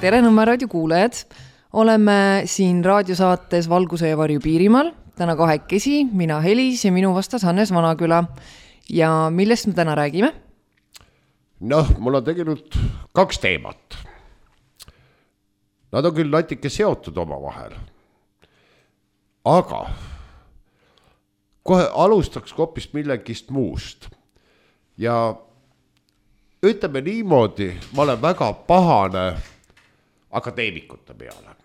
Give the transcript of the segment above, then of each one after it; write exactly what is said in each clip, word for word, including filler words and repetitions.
Tere Nõmme raadio kuulajad. Oleme siin raadiosaates Valguse ja varju Piirimaal. Täna kahekesi, mina Helis ja minu vastas Hannes Vanaküla. Ja millest me täna räägime? Noh, mul on tegelikult kaks teemat. Nad on küll natuke seotud oma vahel. Aga kohe alustaks hoopis millegist muust. Ja ütleme niimoodi, ma olen väga pahane akadeemikute peale.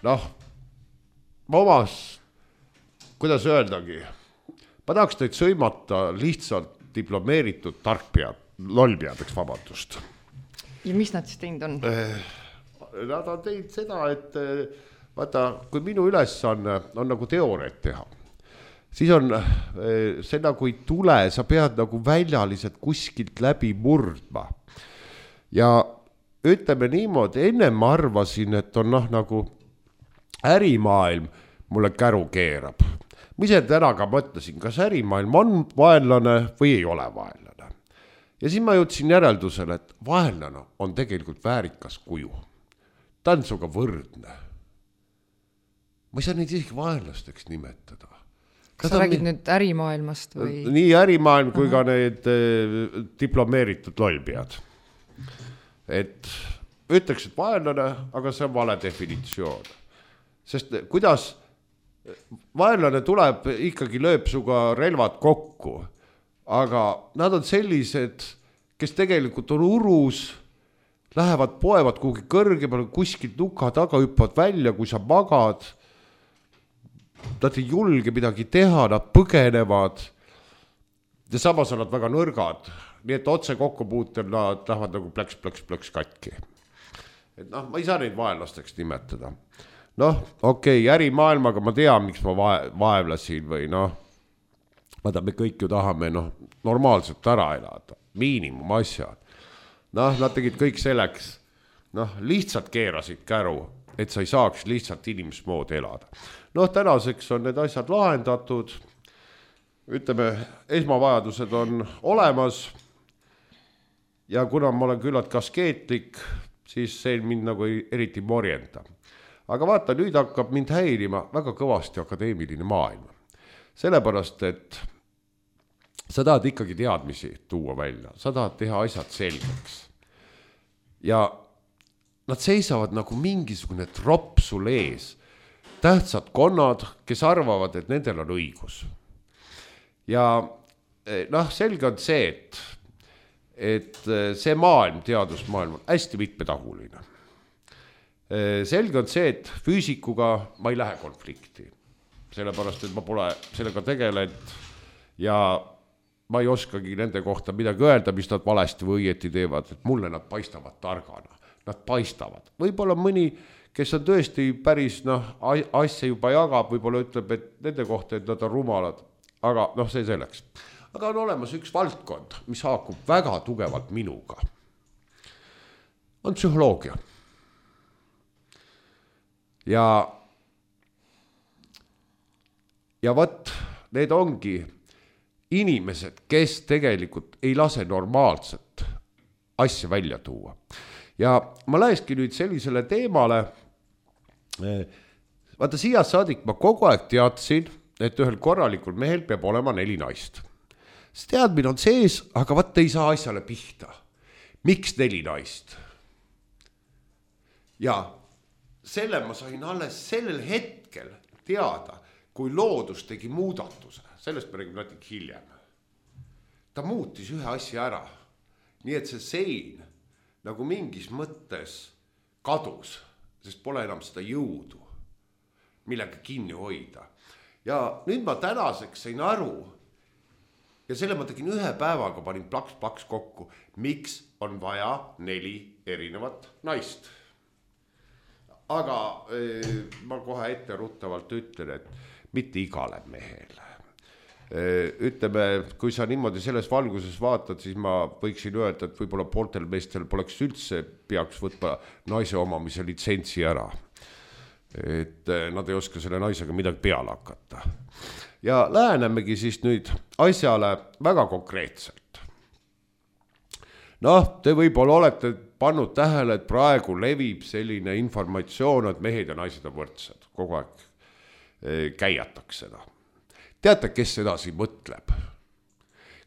Noh, ma omas, kuidas öeldagi, ma tahaks teid sõimata lihtsalt diplomeeritud tarkpead, lollpeadeks vabandust. Ja mis nad siis teinud on? Nad on teinud seda, et vaata, kui minu ülesanne on nagu teooriat teha, siis on see nagu ei tule, sa pead nagu väljaliselt kuskilt läbi murdma. Ja ütleme niimoodi, enne ma arvasin, et on noh, nagu ärimaailm mulle käru keerab. Ma ise täna ka mõtlesin, kas ärimaailm on vaenlane või ei ole vaenlane. Ja siis ma jõudsin järeldusele, et vaenlane on tegelikult väärikas kuju. Ta on suga võrdne. Ma ei saa neid isegi vaenlasteks nimetada. Kas sa räägid nüüd ärimaailmast või? Nii ärimaailm kui Aha. ka need eh, diplomeeritud lollpead. Et ütleks, et vaenlane, aga see on vale definitsioon. Sest kuidas vaenlane tuleb, ikkagi lööb suga relvad kokku, aga nad on sellised, kes tegelikult on urus, lähevad, poevad kuhugi kõrgemale, kuskilt nuka taga hüppavad välja, kui sa magad. Nad ei julge midagi teha, nad põgenevad ja samas on nad väga nõrgad. Nii et otse kokkupuutel nad lähevad nagu plõks, plõks, plõks katki. Et noh, ma ei saa neid vaenlasteks nimetada. Noh, okei, okay, ärimaailmaga ma tean, miks ma vaevlasin või noh, vaata, me kõik ju tahame noh, normaalselt ära elada, miinimum asjad. Noh, nad tegid kõik selleks, noh, lihtsalt keerasid käru, et sa ei saaks lihtsalt inimesmoodi elada. Noh, tänaseks on need asjad lahendatud, ütleme, esmavajadused on olemas ja kuna ma olen küllalt kaskeetlik, siis see mind nagu eriti morjenda. Aga vaata, nüüd hakkab mind häirima väga kõvasti akadeemiline maailm. Sellepärast, et sa tahad ikkagi teadmisi tuua välja, sa tahad teha asjad selgeks. Ja nad seisavad nagu mingisugune tropp sul ees, tähtsad konnad, kes arvavad, et nendel on õigus. Ja noh, selge on see, et, et see maailm, teadusmaailm on hästi mitmetahuline. Selge on see, et füüsikuga ma ei lähe konflikti, sellepärast, et ma pole sellega tegelenud ja ma ei oskagi nende kohta midagi öelda, mis nad valesti või õieti teevad, et mulle nad paistavad targana, nad paistavad. Võib-olla mõni, kes on tõesti päris noh, asja juba jagab, võib-olla ütleb, et nende kohta, et nad on rumalad, aga noh, see selleks. Aga on olemas üks valdkond, mis haakub väga tugevalt minuga. On psühholoogia. Ja, ja võt, need ongi inimesed, kes tegelikult ei lase normaalset asja välja tuua. Ja ma läheski nüüd sellisele teemale, vaata siia saadik ma kogu aeg teadsin, et ühel korralikul mehel peab olema neli naist. See teadmine on sees, aga vaata ei saa asjale pihta. Miks neli naist? Ja selle ma sain alles sellel hetkel teada, kui loodus tegi muudatuse. Sellest me räägime natuke hiljem. Ta muutis ühe asja ära. Nii et see sein nagu mingis mõttes kadus, sest pole enam seda jõudu, millega kinni hoida. Ja nüüd ma tänaseks sain aru, ja selle ma tegin ühe päevaga, panin plaks-plaks kokku, miks on vaja neli erinevat naist. Aga eh, ma kohe ette ruttavalt ütlen, et mitte igale mehele. Eh, ütleme, kui sa niimoodi selles valguses vaatad, siis ma võiksin öelda, et võib-olla pooltel meestel poleks üldse peaks võtma naise omamise litsentsi ära. Et eh, nad ei oska selle naisega midagi peale hakata. Ja lähenemegi siis nüüd asjale väga konkreetselt. Noh, te võib-olla olete pannud tähele, et praegu levib selline informatsioon, et mehed ja naised on võrdsed. Kogu aeg käiatakse seda. Teate, kes edasi mõtleb?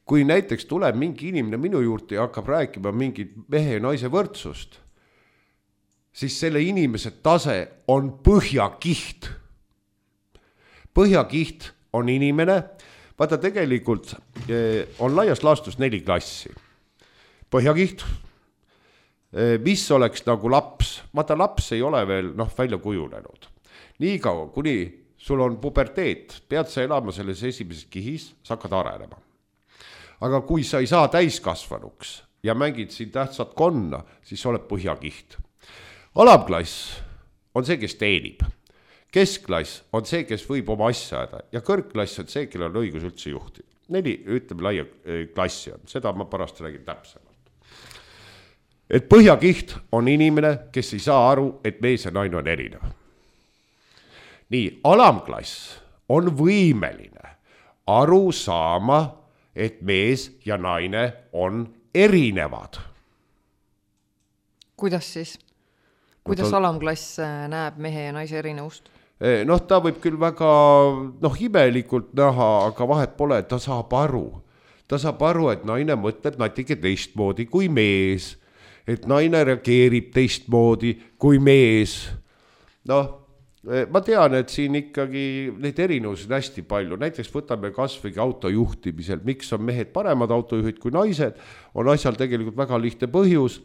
Kui näiteks tuleb mingi inimene minu juurde ja hakkab rääkima mingit mehe ja naise võrdsust, siis selle inimese tase on põhjakiht. Põhjakiht on inimene, vaata tegelikult on laias laastus neli klassi. Põhjakiht, mis oleks nagu laps, vaata laps ei ole veel noh, välja kujunenud. Nii kaua, kuni sul on puberteet, pead sa elama selles esimeses kihis, sa hakkad arenema. Aga kui sa ei saa täiskasvanuks ja mängid siin tähtsat konna, siis sa oled põhjakiht. Alamklass on see, kes teenib. Keskklass on see, kes võib oma asja ajada ja kõrgklass on see, kellel on õigus üldse juhtida. Neli, ütleme, laia klassi on. Seda ma pärast räägin täpsemalt. Et põhjakiht on inimene, kes ei saa aru, et mees ja naine on erinev. Nii, alamklass on võimeline aru saama, et mees ja naine on erinevad. Kuidas siis? Kuidas no, ta... alamklass näeb mehe ja naise erinevust? Noh, ta võib küll väga noh, imelikult näha, aga vahet pole, et ta saab aru. Ta saab aru, et naine mõtleb natuke teistmoodi kui mees. Et naine reageerib teistmoodi kui mees. Noh, ma tean, et siin ikkagi neid erinevusi on hästi palju. Näiteks võtame kasvõi autojuhtimisel. Miks on mehed paremad autojuhid kui naised? On asjal tegelikult väga lihtne põhjus,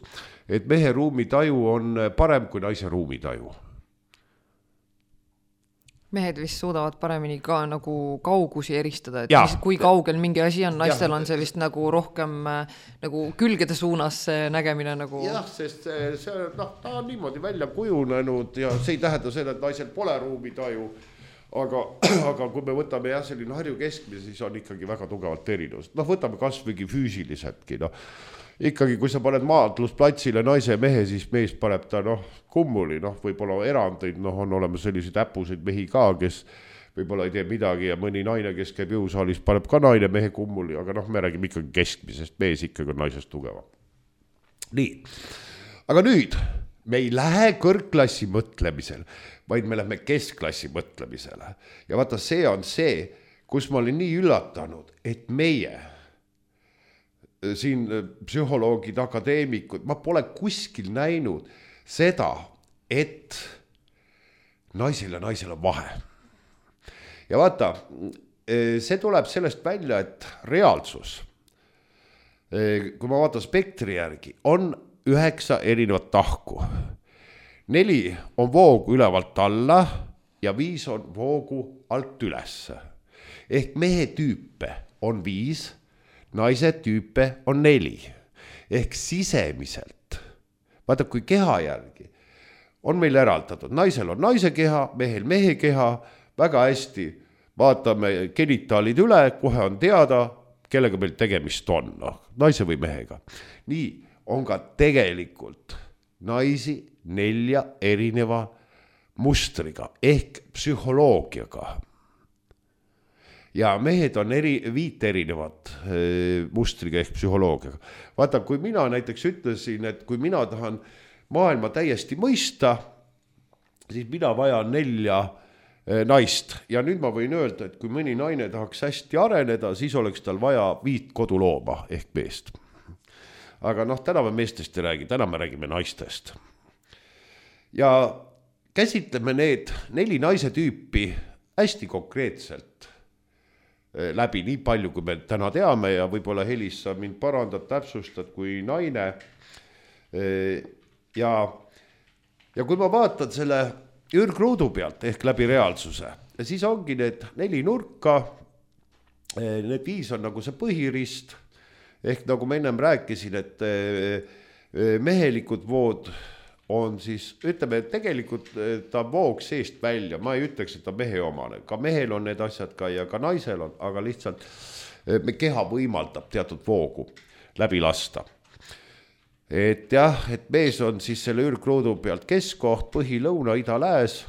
et mehe ruumitaju on parem kui naise ruumitaju. Mehed vist suudavad paremini ka nagu kaugusi eristada, et mis, kui kaugel mingi asi on, naistel ja. On see vist nagu rohkem nagu külgede suunas nägemine nagu... Jah, sest see, see, no, ta on niimoodi välja kujunenud ja see ei tähenda seda, et naisel pole ruumitaju, aga, aga kui me võtame jah, selline Harju keskmise, siis on ikkagi väga tugevalt erinevus. Noh, võtame kasvõigi füüsiliseltki, noh. Ikkagi, kui sa paned maadlusplatsile naise ja mehe, siis mees paneb ta noh, kummuli, noh, võib-olla erandeid, noh, on olemas selliseid äpuseid mehi ka, kes võib-olla ei tee midagi ja mõni naine, kes käib jõusaalis, paneb ka naine mehe kummuli, aga noh, me räägime ikkagi keskmisest, mees ikkagi on naisest tugevam. Nii, aga nüüd me ei lähe kõrgklassi mõtlemisel, vaid me lähme keskklassi mõtlemisele. Ja vaata, see on see, kus ma olin nii üllatanud, et meie siin psühholoogid, akadeemikud, ma pole kuskil näinud seda, et naisel ja naisel on vahe. Ja vaata, see tuleb sellest välja, et reaalsus, kui ma vaatan spektri järgi, on üheksa erinevat tahku. Neli on voogu ülevalt alla ja viis on voogu alt ülesse. Ehk mehe tüüpe on viis, naise tüüpe on neli. Ehk sisemiselt, vaata kui keha järgi, on meil eraldatud. Naisel on naise keha, mehel mehe keha, väga hästi vaatame genitaalid üle, kohe on teada, kellega meil tegemist on, no, naise või mehega. Nii on ka tegelikult naisi nelja erineva mustriga ehk psühholoogiaga. Ja mehed on eri, viit erinevat e, mustriga ehk psühholoogiaga. Vaata, kui mina näiteks ütlesin, et kui mina tahan maailma täiesti mõista, siis mina vajan nelja e, naist. Ja nüüd ma võin öelda, et kui mõni naine tahaks hästi areneda, siis oleks tal vaja viit kodulooma ehk meest. Aga noh, täna me meestest ei räägi, täna me räägime naistest. Ja käsitleme need neli naise tüüpi hästi konkreetselt läbi nii palju, kui me täna teame ja võib-olla Helis sa mind parandad, täpsustad kui naine. Ja, ja kui ma vaatan selle ürgruudu pealt ehk läbi reaalsuse, siis ongi need neli nurka, need viis on nagu see põhirist, ehk nagu ma ennem rääkisin, et mehelikud vood on siis, ütleme, et tegelikult ta voog seest välja, ma ei ütleks, et ta mehe omane, ka mehel on need asjad ka ja ka naisel on, aga lihtsalt me keha võimaldab teatud voogu läbi lasta. Et jah, et mees on siis selle ürgruudu pealt keskkoht, põhi, lõuna, ida, lääs,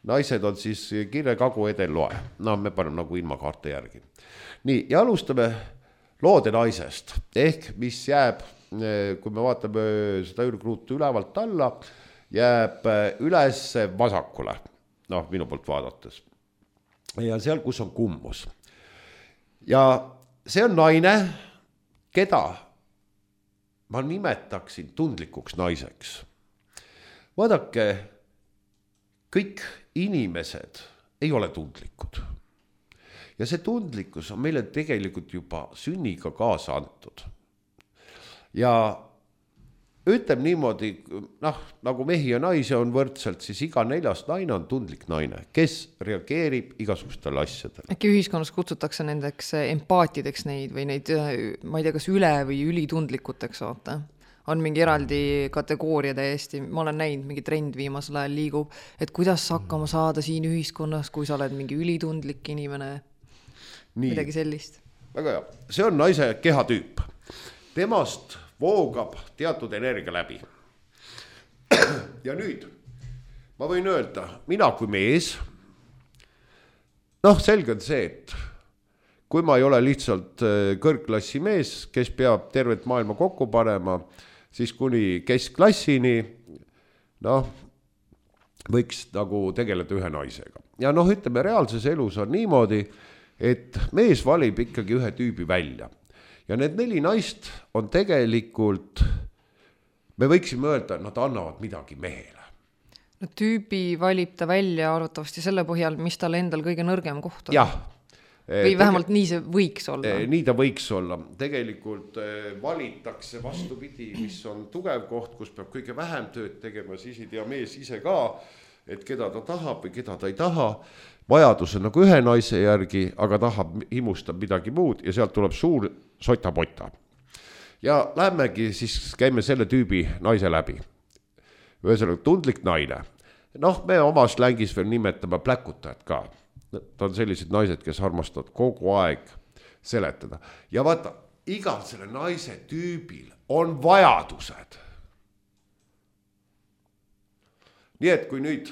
naised on siis kirre, kagu, edel, loe. No me paneme nagu ilmakaarte järgi. Nii, ja alustame loode naisest, ehk mis jääb kui me vaatame seda ürgruutu ülevalt alla, jääb üles vasakule, noh, minu poolt vaadates. Ja seal, kus on kummus. Ja see on naine, keda ma nimetaksin tundlikuks naiseks. Vaadake, kõik inimesed ei ole tundlikud. Ja see tundlikkus on meile tegelikult juba sünniga kaasa antud. Ja ütleb niimoodi, noh, nagu mehi ja naisi on võrdselt, siis iga neljas naine on tundlik naine, kes reageerib igasugustele asjadele. Äkki ühiskonnas kutsutakse nendeks empaatideks neid või neid, ma ei tea, kas üle või ülitundlikuteks, vaata. On mingi eraldi kategooria täiesti, ma olen näinud, mingi trend viimasel ajal liigub, et kuidas hakkama saada siin ühiskonnas, kui sa oled mingi ülitundlik inimene, Nii. midagi sellist. Väga hea, see on naise kehatüüp. Temast voogab teatud energia läbi. Ja nüüd, ma võin öelda, mina kui mees, noh, selge on see, et kui ma ei ole lihtsalt kõrgklassi mees, kes peab tervet maailma kokku panema, siis kuni keskklassini, noh, võiks nagu tegeleda ühe naisega. Ja noh, ütleme, reaalses elus on niimoodi, et mees valib ikkagi ühe tüübi välja. Ja need neli naist on tegelikult, me võiksime öelda, nad annavad midagi mehele. No tüübi valib ta välja arvatavasti selle põhjal, mis tal endal kõige nõrgem koht on. Jah. Või vähemalt Tege- nii see võiks olla. Nii ta võiks olla. Tegelikult valitakse vastupidi, mis on tugev koht, kus peab kõige vähem tööd tegema, siis ei tea mees ise ka, et keda ta tahab või keda ta ei taha. Vajadus on nagu ühe naise järgi, aga tahab, himustab midagi muud ja sealt tuleb suur sota-pota. Ja lähemegi siis käime selle tüübi naise läbi. Ühesõnaga tundlik naine. Noh, me oma slängis veel nimetame pläkutajad ka. Ta on sellised naised, kes armastavad kogu aeg seletada. Ja vaata, igal selle naise tüübil on vajadused. Nii et kui nüüd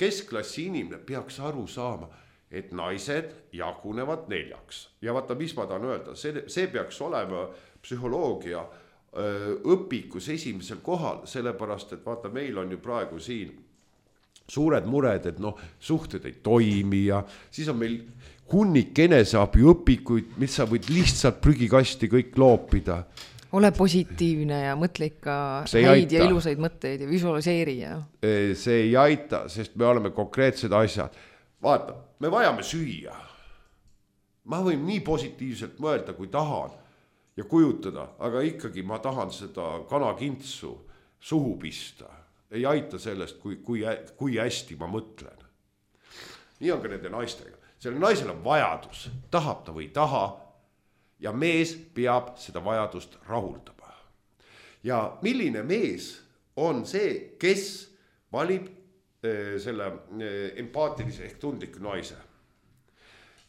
keskklassi inimene peaks aru saama, et naised jagunevad neljaks. Ja vaata, mis ma tahan öelda, see, see peaks olema psühholoogia öö, õpikus esimesel kohal, sellepärast, et vaata, meil on ju praegu siin suured mured, et noh, suhted ei toimi ja siis on meil hunnik eneseabi õpikuid, mis sa võid lihtsalt prügikasti kõik loopida. Ole positiivne ja mõtle ikka häid ja ilusaid mõtteid ja visualiseeri. Ja. See ei aita, sest me oleme konkreetsed asjad. Vaata, me vajame süüa. Ma võin nii positiivselt mõelda, kui tahan ja kujutada, aga ikkagi ma tahan seda kanakintsu suhu pista. Ei aita sellest, kui, kui, kui hästi ma mõtlen. Nii on ka nende naistega. Selle naisel on vajadus, tahab ta või taha, ja mees peab seda vajadust rahuldama. Ja milline mees on see, kes valib äh, selle äh, empaatilise ehk tundliku naise?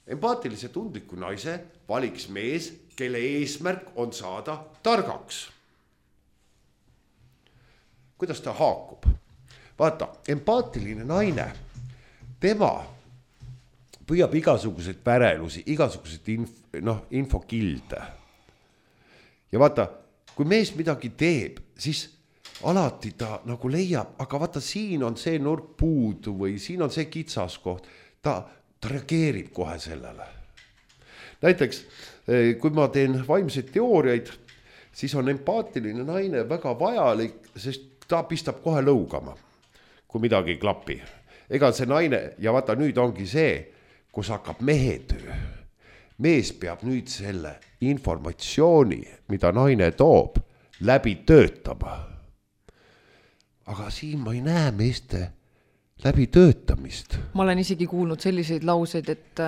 Empaatilise tundliku naise valiks mees, kelle eesmärk on saada targaks. Kuidas ta haakub? Vaata, empaatiline naine, tema püüab igasuguseid pärelusi, igasuguseid inf, noh, infokilde. Ja vaata, kui mees midagi teeb, siis alati ta nagu leiab, aga vaata, siin on see nurk puudu või siin on see kitsaskoht. Ta, ta reageerib kohe sellele. Näiteks, kui ma teen vaimseid teooriaid, siis on empaatiline naine väga vajalik, sest ta pistab kohe lõugama, kui midagi ei klapi. Ega see naine, ja vaata nüüd ongi see, kus hakkab mehetöö. Mees peab nüüd selle informatsiooni, mida naine toob, läbi töötama. Aga siin ma ei näe meeste läbi töötamist. Ma olen isegi kuulnud selliseid lauseid, et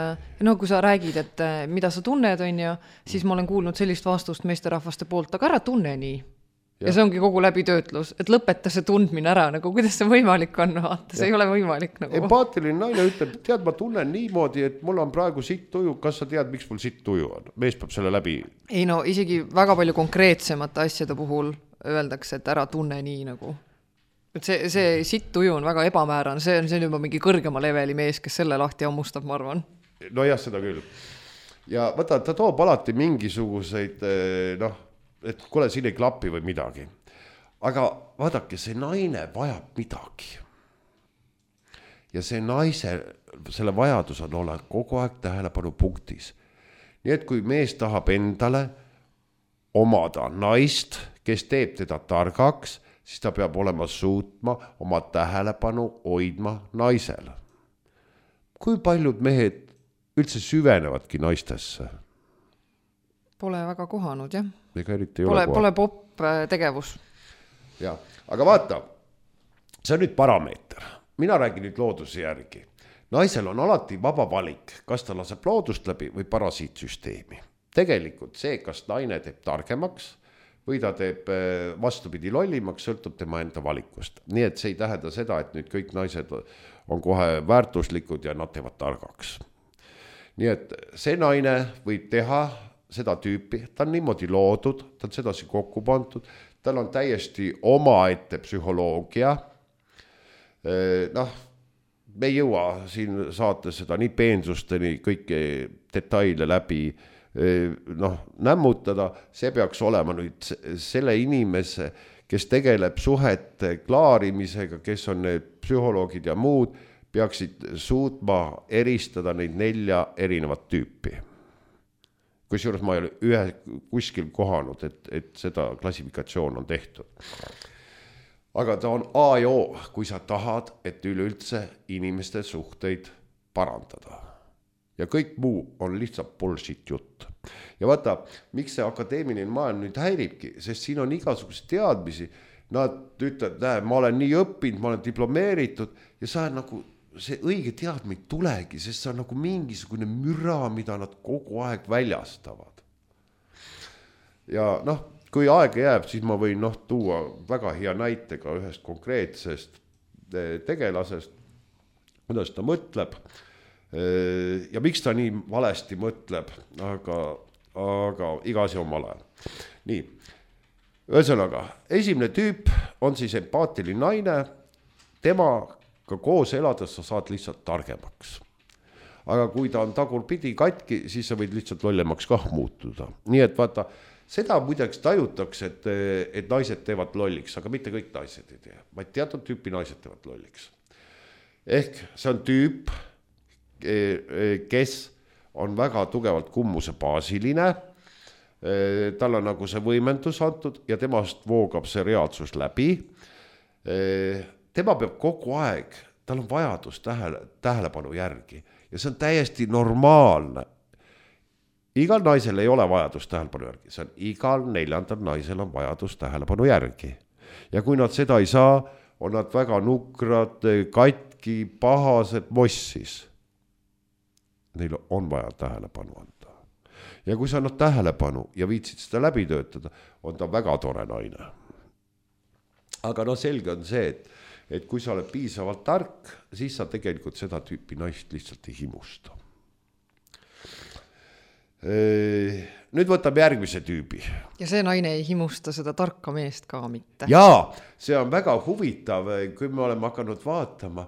no kui sa räägid, et mida sa tunned on ja, siis ma olen kuulnud sellist vastust meesterahvaste poolt, aga ära tunne nii. Ja, ja see ongi kogu läbitöötlus, et lõpeta see tundmine ära, nagu kuidas see võimalik on, vaata, see ja. Ei ole võimalik. Nagu. Empaatiline naine ütleb, tead, ma tunnen niimoodi, et mul on praegu sitt tuju, kas sa tead, miks mul sitt tuju on? Mees peab selle läbi. Ei no, isegi väga palju konkreetsemate asjade puhul öeldakse, et ära tunne nii nagu. Et see, see sitt tuju on väga ebamääran, see on, see on juba mingi kõrgema leveli mees, kes selle lahti ammustab, ma arvan. No jah, seda küll. Ja vaata, ta toob alati mingisuguseid, noh, et kuule, siin ei klapi või midagi. Aga vaadake, see naine vajab midagi. Ja see naise, selle vajadus on olla kogu aeg tähelepanu punktis. Nii et kui mees tahab endale omada naist, kes teeb teda targaks, siis ta peab olema suutma oma tähelepanu hoidma naisele. Kui paljud mehed üldse süvenevadki naistesse? Pole väga kohanud, jah. Ega eriti ei pole, ole pole pop tegevus. Ja, aga vaata, see on nüüd parameeter. Mina räägin nüüd looduse järgi. Naisel on alati vaba valik, kas ta laseb loodust läbi või parasiitsüsteemi. Tegelikult see, kas naine teeb targemaks või ta teeb vastupidi lollimaks, sõltub tema enda valikust. Nii et see ei tähenda seda, et nüüd kõik naised on kohe väärtuslikud ja nad teevad targaks. Nii et see naine võib teha seda tüüpi, ta on niimoodi loodud, ta on sedasi kokku pandud, tal on täiesti omaette psühholoogia. Noh, me ei jõua siin saates seda nii peensusteni kõiki detaile läbi noh, nämmutada, see peaks olema nüüd selle inimese, kes tegeleb suhete klaarimisega, kes on need psühholoogid ja muud, peaksid suutma eristada neid nelja erinevat tüüpi. Kusjuures ma ei ole ühe kuskil kohanud, et, et seda klassifikatsioon on tehtud. Aga ta on A ja O, kui sa tahad, et üleüldse inimeste suhteid parandada. Ja kõik muu on lihtsalt bullshit jutt. Ja vaata, miks see akadeemiline maailm nüüd häiribki, sest siin on igasugused teadmisi. Nad ütlevad, näe, ma olen nii õppinud, ma olen diplomeeritud ja sa nagu see õige teadmine tulegi, sest see on nagu mingisugune müra, mida nad kogu aeg väljastavad. Ja noh, kui aega jääb, siis ma võin noh, tuua väga hea näitega ühest konkreetsest tegelasest, kuidas ta mõtleb ja miks ta nii valesti mõtleb, aga, aga iga asi omal ajal. Nii, ühesõnaga, esimene tüüp on siis empaatiline naine, tema ka koos elades sa saad lihtsalt targemaks. Aga kui ta on tagurpidi katki, siis sa võid lihtsalt lollemaks kah muutuda. Nii et vaata, seda muideks tajutakse, et, et naised teevad lolliks, aga mitte kõik naised ei tee, vaid teatud tüüpi naised teevad lolliks. Ehk see on tüüp, kes on väga tugevalt kummuse baasiline, tal on nagu see võimendus antud ja temast voogab see reaalsus läbi. Tema peab kogu aeg, tal on vajadus tähele, tähelepanu järgi ja see on täiesti normaalne. Igal naisel ei ole vajadus tähelepanu järgi, see on igal neljandal naisel on vajadus tähelepanu järgi. Ja kui nad seda ei saa, on nad väga nukrad, katki, pahased, mossis. Neil on vaja tähelepanu anda. Ja kui sa annad tähelepanu ja viitsid seda läbi töötada, on ta väga tore naine. Aga no selge on see, et, et kui sa oled piisavalt tark, siis sa tegelikult seda tüüpi naist lihtsalt ei himusta. Nüüd võtab järgmise tüübi. Ja see naine ei himusta seda tarka meest ka mitte. Jaa, see on väga huvitav, kui me oleme hakanud vaatama.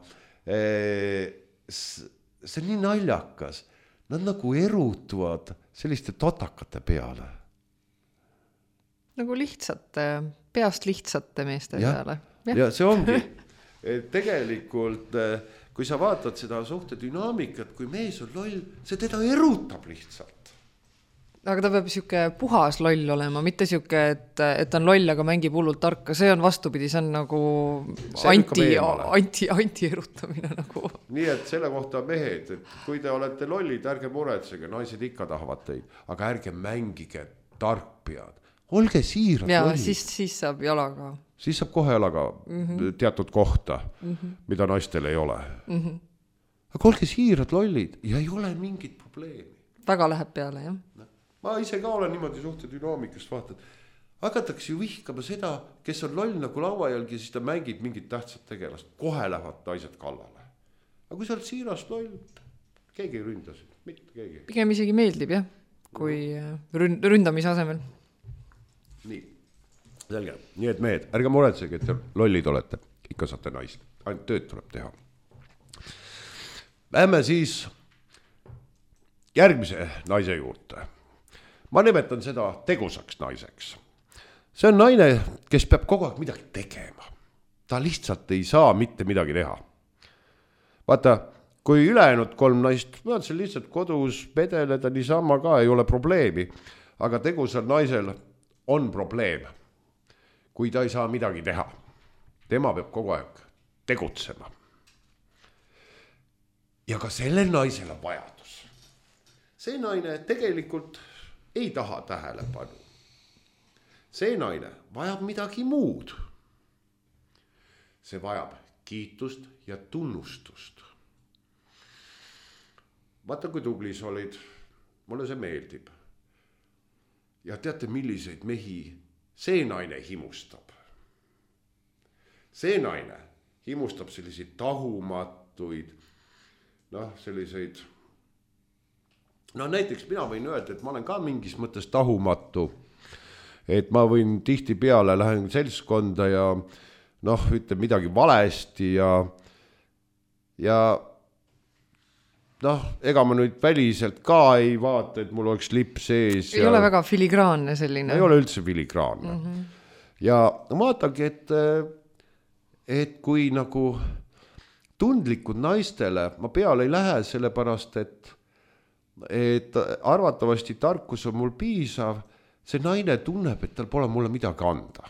See on nii naljakas. Nad nagu erutuvad selliste totakate peale. Nagu lihtsate, peast lihtsate meeste ja, peale. Ja. ja see ongi. Tegelikult, kui sa vaatad seda suhte dünaamikat, kui mees on loll, see teda erutab lihtsalt. Aga ta peab siuke puhas loll olema, mitte siuke, et, et on loll, aga mängib hullult tarka. See on vastupidi, see on nagu see anti, anti, anti erutamine nagu. Nii et selle kohta mehed, et kui te olete lollid, ärge muretsege, naised ikka tahavad teid, aga ärge mängige tarkpead. Olge siirad ja, lollid. Siis, siis saab jalaga. Siis saab kohe jalaga mm-hmm. teatud kohta, mm-hmm. mida naistel ei ole. Mm-hmm. Aga olge siirad lollid ja ei ole mingit probleemi. Väga läheb peale, jah. Ma ise ka olen niimoodi suhte dünaamikast vaatad. Hakatakse ju vihkama seda, kes on loll nagu lauajälgi ja siis ta mängib mingit tähtsat tegelast. Kohe lähevad naised kallale. Aga kui sa oled siirast loll, keegi ei ründa sind, mitte keegi. Pigem isegi meeldib, jah, kui ründamise asemel. Nii, selge. Nii et mehed, ärge muretsege, et lollid olete. Ikka saate naist. Ainult tööd tuleb teha. Lähme siis järgmise naise juurde. Ma nimetan seda tegusaks naiseks. see on naine, kes peab kogu aeg midagi tegema. Ta lihtsalt ei saa mitte midagi teha. Vaata, kui ülejäänud kolm naist, ma olen lihtsalt kodus pedeleda niisama ka, ei ole probleemi. Aga tegusal naisel on probleem, kui ta ei saa midagi teha. Tema peab kogu aeg tegutsema. Ja ka sellel naisel on vajadus. See naine tegelikult ei taha tähelepanu. See naine vajab midagi muud. See vajab kiitust ja tunnustust. Vaata, kui tubli sa olid. Mulle see meeldib. Ja teate, milliseid mehi see naine himustab. See naine himustab selliseid tahumatuid, noh, selliseid, no näiteks mina võin öelda, et ma olen ka mingis mõttes tahumatu, et ma võin tihti peale, lähen seltskonda ja noh, ütleb midagi valesti ja ja noh, ega ma nüüd väliselt ka ei vaata, et mul oleks lips sees. Ei ja ole väga filigraanne selline. Ei ole üldse filigraanne. Mm-hmm. Ja vaatagi, et, et kui nagu tundlikud naistele, ma peale ei lähe sellepärast, et, et arvatavasti tarkus on mul piisav, see naine tunneb, et tal pole mulle midagi anda.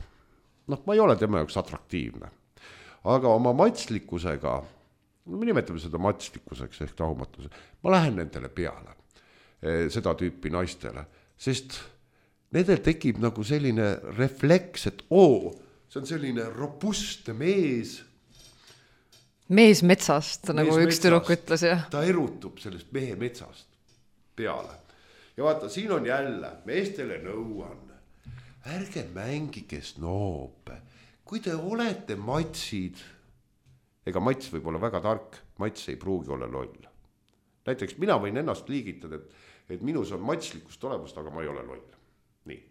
Noh, ma ei ole tema jaoks atraktiivne. Aga oma matslikkusega, me nimetame seda matslikkuseks ehk tahumatuse, ma lähen nendele peale, seda tüüpi naistele, sest nendel tekib nagu selline refleks, et oo, see on selline robustne mees. Mees metsast, nagu mees üks tüdruk ütles, jah. Ta erutub sellest mehe metsast peale. Ja vaata, siin on jälle, meestele nõuan, ärge mängige snoope, kui te olete matsid, ega mats võib olla väga tark, mats ei pruugi olla loll. Näiteks mina võin ennast liigitada, et, et minus on matslikust olemust, aga ma ei ole loll. Nii.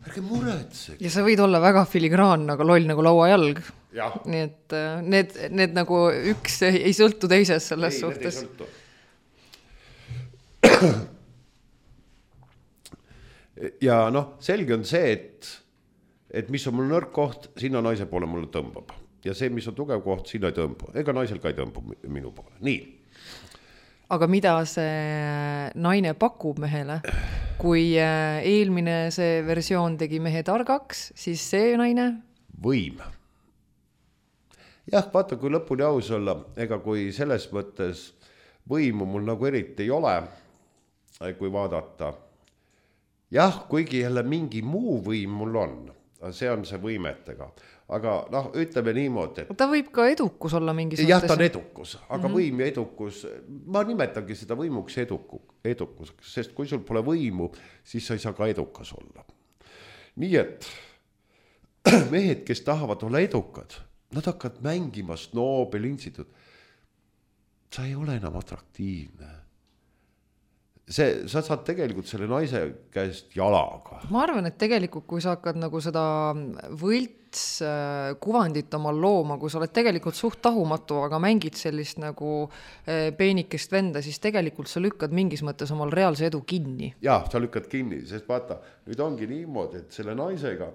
Ärge muretsege. Ja sa võid olla väga filigraan, aga loll nagu lauajalg. Ja. Nii et need, need nagu üks ei sõltu teises selles ei, suhtes. Ei, need ei sõltu. Ja noh, selge on see, et, et mis on mul nõrk koht, sinna naise poole mulle tõmbab. Ja see, mis on tugev koht, sinna ei tõmbu. Ega naisel ka ei tõmbu minu poole. Nii. Aga mida see naine pakub mehele? Kui eelmine see versioon tegi mehe targaks, siis see naine? Võim. Jah, vaata, kui lõpuni aus olla, ega kui selles mõttes võimu mul nagu eriti ei ole, kui vaadata. Jah, kuigi jälle mingi muu võim mul on, see on see võimetega. Aga noh, ütleme niimoodi, et ta võib ka edukus olla mingis jah, ta on edukus, aga mm-hmm. võim ja edukus, ma nimetangi seda võimuks eduku, edukuseks, sest kui sul pole võimu, siis sa ei saa ka edukas olla. Nii et mehed, kes tahavad olla edukad, nad hakkavad mängima snoobe, lintsitud. Sa ei ole enam atraktiivne. See, sa saad tegelikult selle naise käest jalaga. Ma arvan, et tegelikult kui sa hakkad nagu seda võlts kuvandit omal looma, kui sa oled tegelikult suht tahumatu, aga mängid sellist nagu peenikest venda, siis tegelikult sa lükkad mingis mõttes omal reaalse edu kinni. Jah, sa lükkad kinni, sest vaata, nüüd ongi niimoodi, et selle naisega,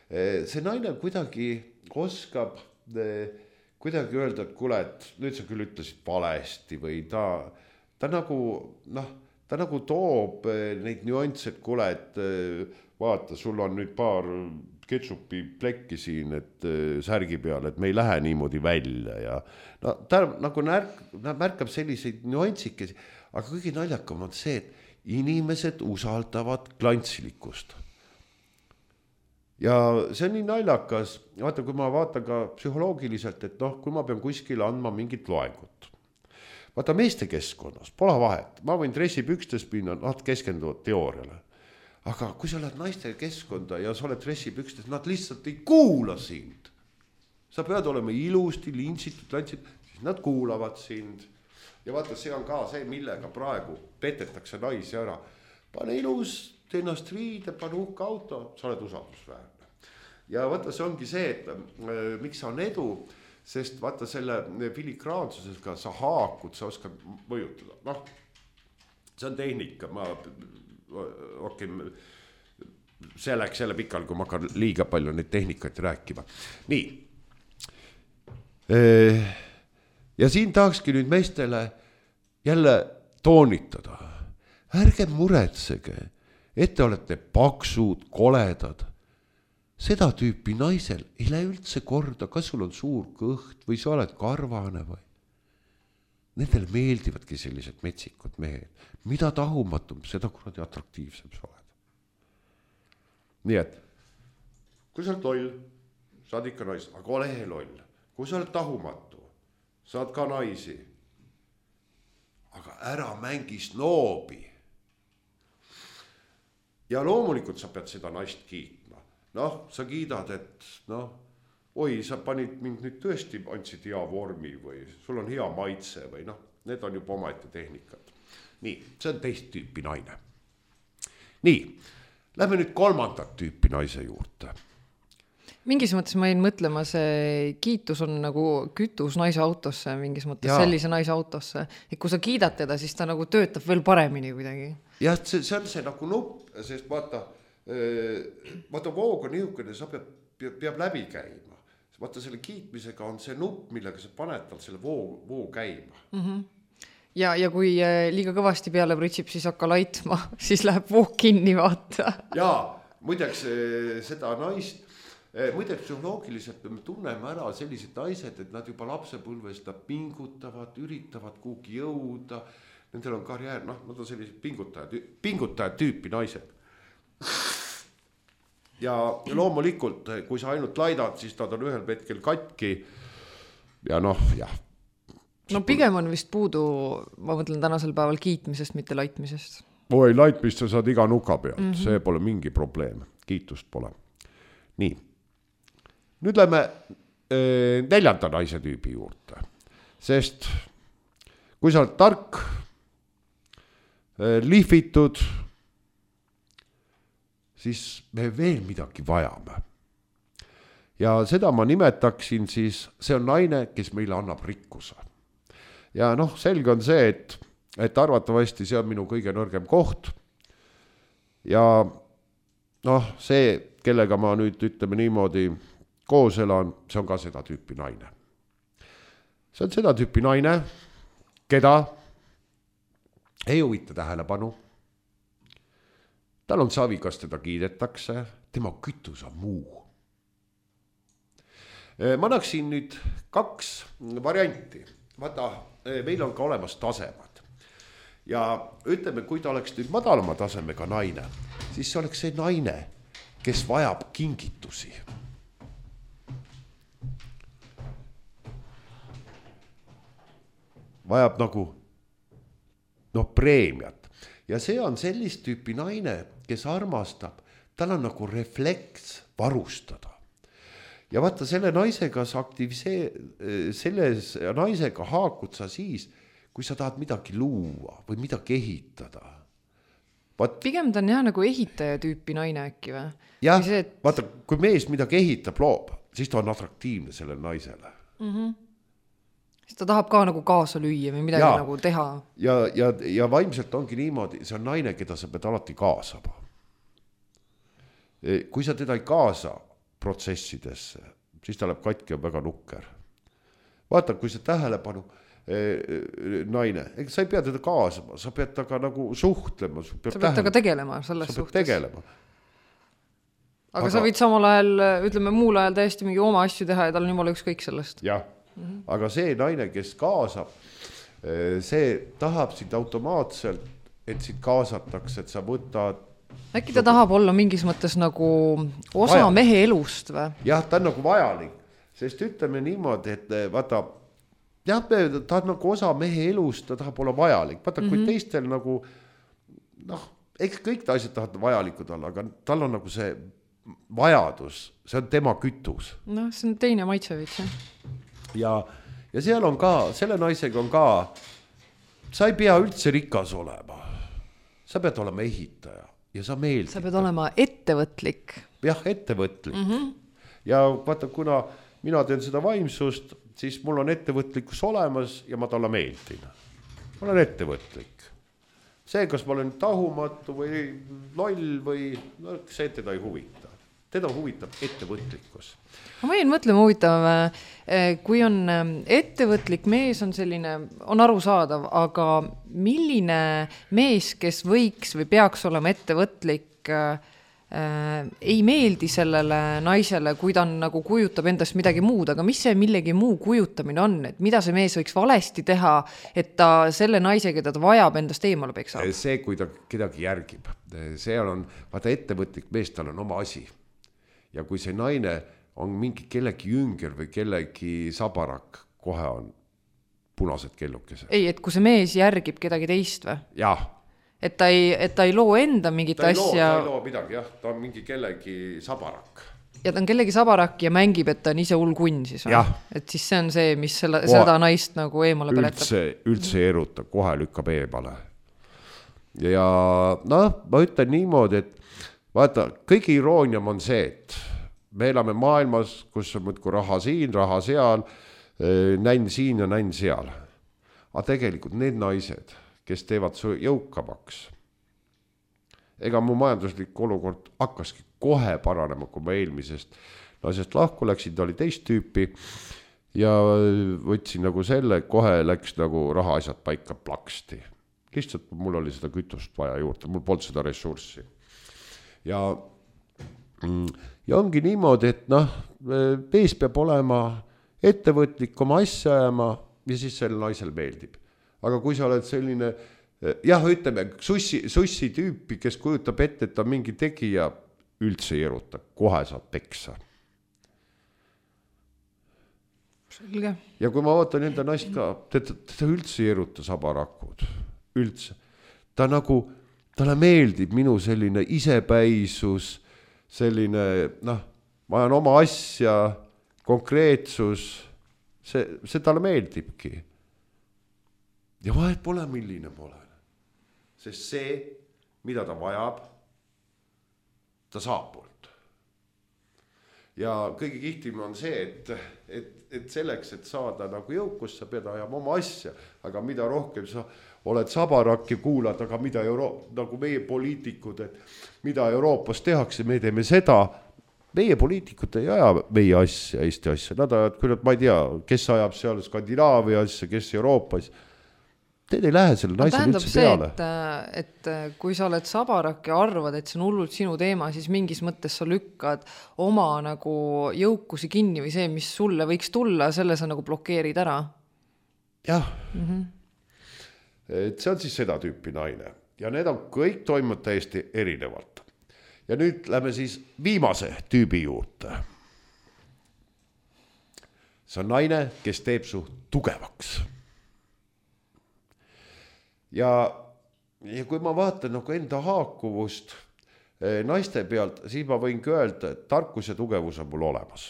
see naine kuidagi oskab kuidagi öelda, et kuule, et nüüd sa küll ütlesid valesti või ta, ta nagu, noh, ta nagu toob neid nüansse, et kuule, et vaata, sul on nüüd paar ketšupi plekki siin, et särgi peal, et me ei lähe niimoodi välja ja no, ta nagu närk, märkab selliseid nüansikesi, aga kõige naljakam on see, et inimesed usaldavad klantsilikust. Ja see on nii naljakas, vaata, kui ma vaatan ka psühholoogiliselt, et noh, kui ma pean kuskil andma mingit loengut. Vaata meeste keskkonnas, pole vahet, ma võin dressipükstes minna, nad keskenduvad teooriale. Aga kui sa oled naiste keskkonda ja sa oled dressipükstes, nad lihtsalt ei kuula sind. Sa pead olema ilusti, lintsitud, lantsid, siis nad kuulavad sind. Ja vaata, see on ka see, millega praegu petetakse naisi ära. Pane ilus, tee ennast riide, pane uhke auto, sa oled usaldusväärne. Ja vaata, see ongi see, et äh, miks sa on edu, sest vaata selle filigraansusega sa haakud, sa oskad mõjutada. Noh, see on tehnika, ma, okay, see läks jälle pikal, kui ma hakkan liiga palju neid tehnikaid rääkima. Nii. Ja siin tahakski nüüd meestele jälle toonitada. Ärge muretsege, et te olete paksud, koledad. Seda tüüpi naisel ei lähe üldse korda, kas sul on suur kõht või sa oled karvane või. Nendele meeldivadki sellised metsikud mehed. Mida tahumatum, seda kuradi atraktiivsem sa oled. Nii et, kui sa oled loll, saad ikka naisi, aga ole loll. Kui sa oled tahumatu, saad ka naisi. Aga ära mängi snoobi. Ja loomulikult sa pead seda naist kiitma. Noh, sa kiidad, et noh, oi, sa panid mind nüüd tõesti, andsid hea vormi või sul on hea maitse või noh, need on juba omaette tehnikad. Nii, see on teist tüüpi naine. Nii, lähme nüüd kolmandat tüüpi naise juurde. Mingis mõttes ma jäin mõtlema, see kiitus on nagu kütus naise autosse, mingis mõttes Jaa. sellise naise autosse. Et kui sa kiidad teda, siis ta nagu töötab veel paremini kuidagi. Ja see, see on see nagu nupp, sest vaata, vaata voog on niisugune, sa peab, peab, peab läbi käima. Vaata selle kiitmisega on see nupp, millega sa paned tal selle voo, voo käima. Mm-hmm. Ja, ja kui liiga kõvasti peale pritsib, siis hakka laitma, siis läheb voog kinni vaata. Jaa, muideks seda naist, muideks psühholoogiliselt me tunneme ära sellised naised, et nad juba lapsepõlvest nad pingutavad, üritavad kuhugi jõuda, nendel on karjäär, noh, nad on sellised pingutajad, pingutajad tüüpi naised. Ja loomulikult, kui sa ainult laidad, siis nad on ühel hetkel katki ja noh, jah. No pigem on vist puudu, ma mõtlen tänasel päeval kiitmisest, mitte laitmisest. Oi, laitmist sa saad iga nuka pealt, mm-hmm. See pole mingi probleem, kiitust pole. Nii, nüüd lähme eh, neljanda naise tüübi juurde, sest kui sa oled tark, eh, lihvitud, siis me veel midagi vajame. Ja seda ma nimetaksin siis, see on naine, kes meile annab rikkuse. Ja noh, selge on see, et, et arvatavasti see on minu kõige nõrgem koht. Ja noh, see, kellega ma nüüd ütleme niimoodi koos elan, see on ka seda tüüpi naine. See on seda tüüpi naine, keda ei huvita tähelepanu. Tal on savi, kas teda kiidetakse, tema kütus on muu. Ma annaksin nüüd kaks varianti. Vaata, meil on ka olemas tasemad. Ja ütleme, kui ta oleks nüüd madalama tasemega naine, siis see oleks see naine, kes vajab kingitusi. Vajab nagu no, preemiat. Ja see on sellist tüüpi naine, kes armastab, tal on nagu refleks varustada. Ja vaata, selle naisega sa aktivisee, selles naisega haakud sa siis, kui sa tahad midagi luua või midagi ehitada. Vaat, pigem ta on jah nagu ehitaja tüüpi naine äkki või? Jah, see, et... vaata, kui mees midagi ehitab, loob, siis ta on atraktiivne sellele naisele. Mm-hmm. Siis ta tahab ka nagu kaasa lüüa või midagi ja, nagu teha. Ja, ja, ja vaimselt ongi niimoodi, see on naine, keda sa pead alati kaasama. Kui sa teda ei kaasa protsessidesse, siis ta läheb katki ja väga nukker. Vaata, kui see tähelepanu eh, naine, ega sa ei pea teda kaasama, sa pead taga nagu suhtlema. Sa pead, sa pead taga tegelema selles sa suhtes. Tegelema. Aga, aga sa võid samal ajal, ütleme muul ajal täiesti mingi oma asju teha ja tal on jumala ükskõik sellest. Jah, mm-hmm. Aga see naine, kes kaasab, see tahab sind automaatselt, et sind kaasatakse, et sa võtad äkki ta tahab olla mingis mõttes nagu osa vajalik. Mehe elust või? Jah, ta on nagu vajalik, sest ütleme niimoodi, et vaata, jah, ta on nagu osa mehe elust, ta tahab olla vajalik. Vaata, kui mm-hmm. teistel nagu, noh, eks kõik ta asjad tahavad vajalikud olla, aga tal on nagu see vajadus, see on tema kütus. Noh, see on teine maitsevits, jah. Ja, ja seal on ka, selle naisega on ka, sa ei pea üldse rikas olema. Sa pead olema ehitaja. Ja sa meeldid. Sa pead olema ettevõtlik. Jah, ettevõtlik. Mm-hmm. Ja vaata, kuna mina teen seda vaimsust, siis mul on ettevõtlikkus olemas ja ma talle meeldin. Ma olen ettevõtlik. see, kas ma olen tahumatu või loll või no, see teda ei huvita. Teda huvitab ettevõtlikkus. Ma võin mõtlema huvitav, kui on ettevõtlik mees on selline, on arusaadav, aga milline mees, kes võiks või peaks olema ettevõtlik, äh, ei meeldi sellele naisele, kui ta on, nagu kujutab endast midagi muud, aga mis see millegi muu kujutamine on, et mida see mees võiks valesti teha, et ta selle naise, keda ta vajab, endast eemale peksab? See, kui ta kedagi järgib, see on, vaata ettevõtlik mees, tal on oma asi. Ja kui see naine on mingi kellegi jünger või kellegi sabarak, kohe on punased kellukesed. Ei, et kui see mees järgib kedagi teist või? Jah. Et ta ei, et ta ei loo enda mingit ta ei asja. Loo, ta ei loo midagi, jah. Ta on mingi kellegi sabarak. Ja ta on kellegi sabarak ja mängib, et ta on ise hull kunn siis. Et siis see on see, mis selle, kohe, seda naist nagu eemale peletab. Üldse, üldse eruta, kohe lükkab eemale. Ja noh, ma ütlen niimoodi, et vaata, kõige irooniam on see, et me elame maailmas, kus on mõtku raha siin, raha seal, näin siin ja näin seal. Aga tegelikult need naised, kes teevad su jõukamaks, ega mu majanduslik olukord hakkaski kohe paranema, kui ma eelmisest naisest lahku läksin, ta oli teist tüüpi ja võtsin nagu selle, kohe läks nagu rahaasjad paika plaksti. Lihtsalt mul oli seda kütust vaja juurde, mul polnud seda ressurssi. Ja, ja ongi niimoodi, et noh, mees peab olema ettevõtlik oma asja ajama ja siis selle naisel meeldib. Aga kui sa oled selline, jah, ütleme, sussi, sussi tüüpi, kes kujutab ette, et ta mingi tegija, üldse ei eruta, kohe saab peksa. Selge. Ja kui ma vaatan enda naist ka, teda, teda üldse ei eruta sabarakud, üldse. Ta nagu, talle meeldib minu selline isepäisus, selline, noh, ma ajan oma asja, konkreetsus, see, see talle meeldibki. Ja vahet pole, milline ma olen. Sest see, mida ta vajab, ta saab poolt. Ja kõige kihtim on see, et, et, et selleks, et saada nagu jõukus, sa pead ajama oma asja. Aga mida rohkem sa oled sabarak ja kuulad, aga mida Euro-, nagu meie poliitikud, et mida Euroopas tehakse, me teeme seda. Meie poliitikud ei aja meie asja, Eesti asja. Nad ajad, kui nad, ma ei tea, kes ajab seal Skandinaavia asja, kes Euroopas. Teed ei lähe selle naisel üldse see, peale. Et, et kui sa oled sabarak ja arvad, et see on hullult sinu teema, siis mingis mõttes sa lükkad oma nagu jõukusi kinni või see, mis sulle võiks tulla, selle sa nagu blokeerid ära. Jah. Mm-hmm. Et see on siis seda tüüpi naine. Ja need on kõik toimunud täiesti erinevalt. Ja nüüd lähme siis viimase tüübi juurde. See on naine, kes teeb su tugevaks. Ja, ja kui ma vaatan nagu enda haakuvust naiste pealt, siis ma võin öelda, et tarkus ja tugevus on mul olemas.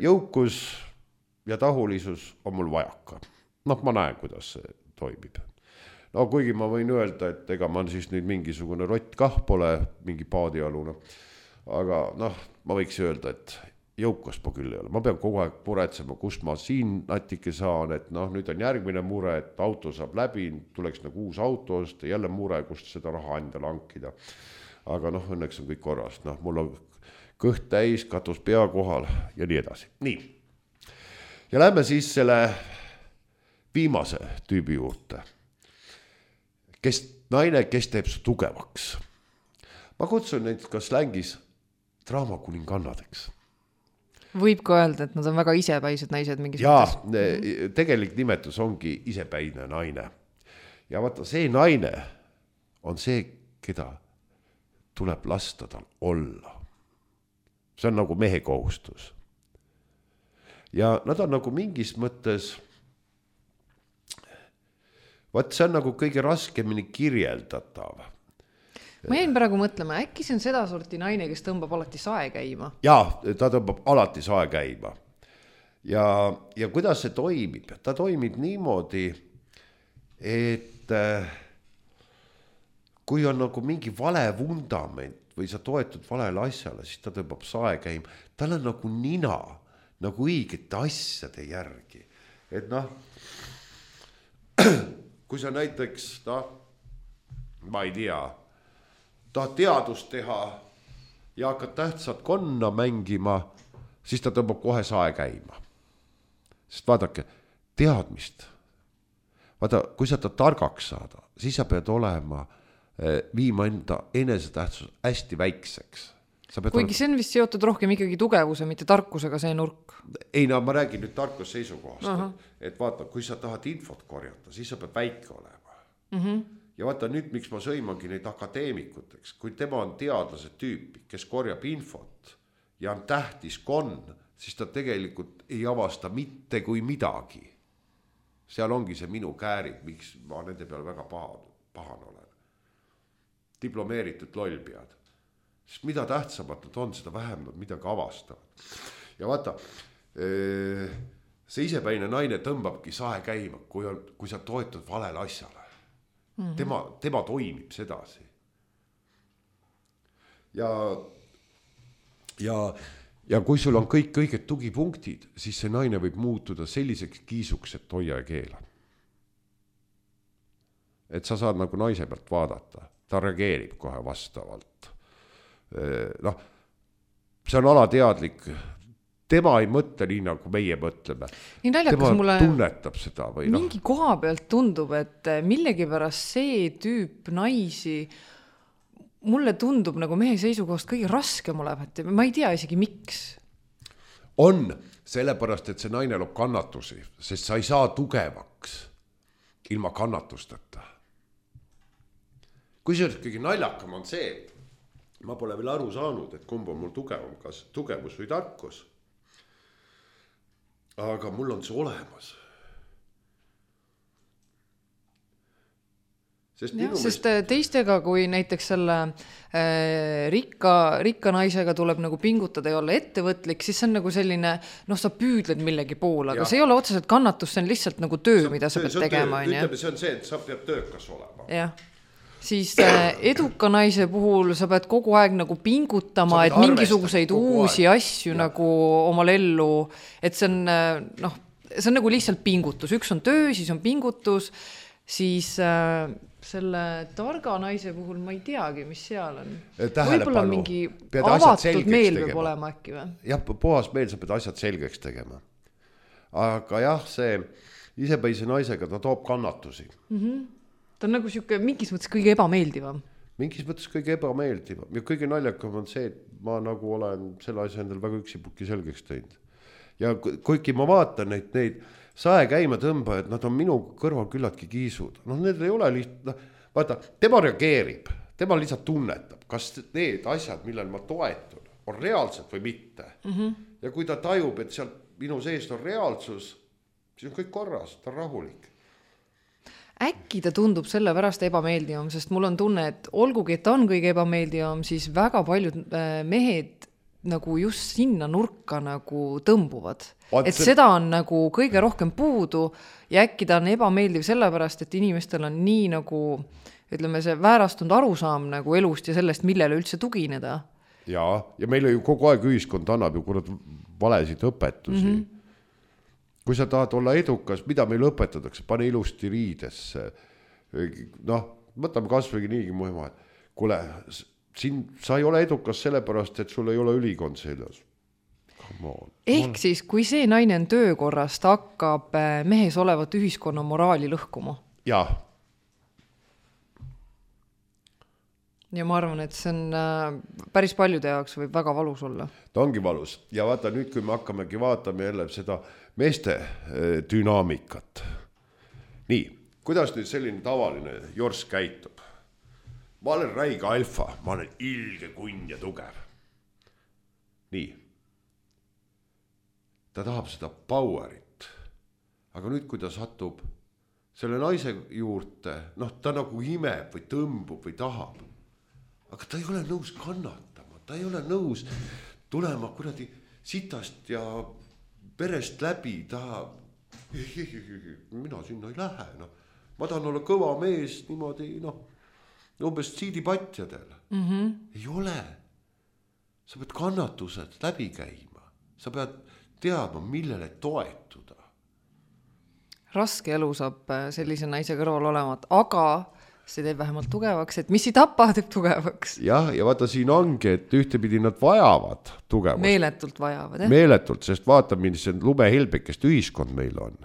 Jõukus ja tahulisus on mul vajaka. Noh, ma näen, kuidas see toimib. No kuigi ma võin öelda, et ega ma siis nüüd mingisugune rott kah pole, mingi paadialune. Aga noh, ma võiks öelda, et jõukast ma küll ei ole. Ma pean kogu aeg muretsema, kust ma siin natike saan, et noh, nüüd on järgmine mure, et auto saab läbi, tuleks nagu uus auto osta, jälle mure, kust seda raha endale hankida. Aga noh, õnneks on kõik korras. Noh, mul on kõht täis, katus pea kohal ja nii edasi. Nii. Ja lähme siis selle viimase tüübi juurde. Kes, naine, kes teeb su tugevaks. Ma kutsun neid ka slängis draamakuningannadeks. Võib ka öelda, et nad on väga isepäised naised mingis Jaa, mõttes. Tegelik nimetus ongi isepäine naine. Ja vaata, see naine on see, keda tuleb lasta tal olla. See on nagu mehe kohustus. Ja nad on nagu mingis mõttes, vaat see on nagu kõige raskemini kirjeldatav. Ma jäin praegu mõtlema, äkki see on seda sorti naine, kes tõmbab alati sae käima? Jaa, ta tõmbab alati sae käima. Ja, ja kuidas see toimib? Ta toimib niimoodi, et kui on nagu mingi vale vundament või sa toetud valele asjale, siis ta tõmbab sae käima. Tal on nagu nina, nagu õigete asjade järgi. Et noh, kui sa näiteks, noh, ma ei tea, tahad teadust teha ja hakkad tähtsat konna mängima, siis ta tõmbab kohe sae käima. Sest vaadake, teadmist. Vaata, kui sa ta targaks saada, siis sa pead olema, viima enda enesetähtsus hästi väikseks. Kuigi olema... see on vist seotud rohkem ikkagi tugevuse, mitte tarkusega see nurk. Ei, no ma räägin nüüd tarkus seisukohast, uh-huh. et, et vaata, kui sa tahad infot korjata, siis sa pead väike olema. Uh-huh. Ja vaata nüüd, miks ma sõimangi neid akadeemikuteks, kui tema on teadlase tüüpi, kes korjab infot ja on tähtis konn, siis ta tegelikult ei avasta mitte kui midagi. Seal ongi see minu käärid, miks ma nende peale väga pahan, pahan olen. Diplomeeritud lollpead. Sest mida tähtsamad nad on, seda vähem nad midagi avastavad. Ja vaata, see isepäine naine tõmbabki sae käima, kui, on, kui sa toetud valele asjale. Mm-hmm. Tema, tema toimib sedasi. Ja, ja, ja kui sul on kõik kõiged tugipunktid, siis see naine võib muutuda selliseks kiisuks, et hoia ja keela. Et sa saad nagu naise pealt vaadata. Ta reageerib kohe vastavalt. Noh, see on alateadlik. Tema ei mõtle nii, nagu meie mõtleme. Nii naljakas tema mulle tunnetab seda. Või mingi no. koha pealt tundub, et millegipärast see tüüp naisi mulle tundub nagu mehe seisukohast kõige raskem olevat. Ma ei tea isegi miks. On sellepärast, et see naine loob kannatusi, sest sa ei saa tugevaks ilma kannatusteta. Kui see kõige naljakam on see, ma pole veel aru saanud, et kumb on mul tugevam, kas tugevus või tarkus. Aga mul on see olemas. Sest, ja, sest meist... teistega, kui näiteks selle äh, rikka, rikka naisega tuleb nagu pingutada ja olla ettevõtlik, siis see on nagu selline, noh, sa püüdled millegi poole, aga ja. See ei ole otseselt kannatus, see on lihtsalt nagu töö, sa, mida sa pead tegema. Töö, ütleme, see on see, et sa pead töökas olema. Jah. Siis äh, eduka naise puhul sa pead kogu aeg nagu pingutama, et mingisuguseid uusi aeg. Asju ja. Nagu omal ellu, et see on, noh, see on nagu lihtsalt pingutus. Üks on töö, siis on pingutus, siis äh, selle targa naise puhul ma ei teagi, mis seal on. Võib-olla mingi avatud meel peab olema äkki või? Jah, puhas meel, sa pead asjad selgeks tegema. Aga jah, see isepäise naisega ta toob kannatusi. Mhm. Ta on nagu siuke mingis mõttes kõige ebameeldivam. Mingis mõttes kõige ebameeldivam. Ja kõige naljakam on see, et ma nagu olen selle asja endal väga üksipukki selgeks teinud. Ja kuigi ma vaatan neid, neid sae käima tõmbajad, nad on minu kõrval küllaltki kiisud. No need ei ole lihtsalt, vaata, tema reageerib, tema lihtsalt tunnetab, kas need asjad, millel ma toetun, on reaalsed või mitte. Mm-hmm. Ja kui ta tajub, et seal minu seest on reaalsus, siis on kõik korras, ta on rahulik. Äkki ta tundub selle pärast ebameeldivam, sest mul on tunne, et olgugi, et ta on kõige ebameeldivam, siis väga paljud mehed nagu just sinna nurka nagu tõmbuvad. Vaat et see... seda on nagu kõige rohkem puudu ja äkki ta on ebameeldiv sellepärast, et inimestel on nii nagu, ütleme, see väärastunud arusaam nagu elust ja sellest, millele üldse tugineda. Ja, ja meile ju kogu aeg ühiskond annab ju kurat valesid õpetusi. Mm-hmm. Kui sa tahad olla edukas, mida meil õpetatakse, pane ilusti riidesse. Noh, võtame kasvõigi niigi muimaad. Kule, siin, sa ei ole edukas sellepärast, et sul ei ole ülikond seljas. Ehk siis, kui see naine on töökorrast, hakkab mehes olevat ühiskonna moraali lõhkuma. Jah. Ja ma arvan, et see on päris paljude jaoks võib väga valus olla. Ta ongi valus. Ja vaata nüüd, kui me hakkamegi vaatama jälle seda meeste dünaamikat. Nii, kuidas nüüd selline tavaline jors käitub? Ma olen räige alfa, ma olen ilge kunn ja tugev. Nii. Ta tahab seda powerit. Aga nüüd, kui ta satub selle naise juurde, noh, ta nagu imeb või tõmbub või tahab. Aga ta ei ole nõus kannatama, ta ei ole nõus tulema kuradi sitast ja perest läbi, ta mina sinna ei lähe, noh. Ma tahan olla kõva mees niimoodi, noh, umbes siidipatjadel. Mm-hmm. Ei ole. Sa pead kannatused läbi käima. Sa pead teadma, millele toetuda. raske elu saab sellise naise kõrval olemat, aga see teeb vähemalt tugevaks, et mis ei tapa, teeb tugevaks. Jah, ja vaata siin ongi, et ühtepidi nad vajavad tugevust. Meeletult vajavad, jah? Meeletult, sest vaata, millised lumehelbekest ühiskond meil on.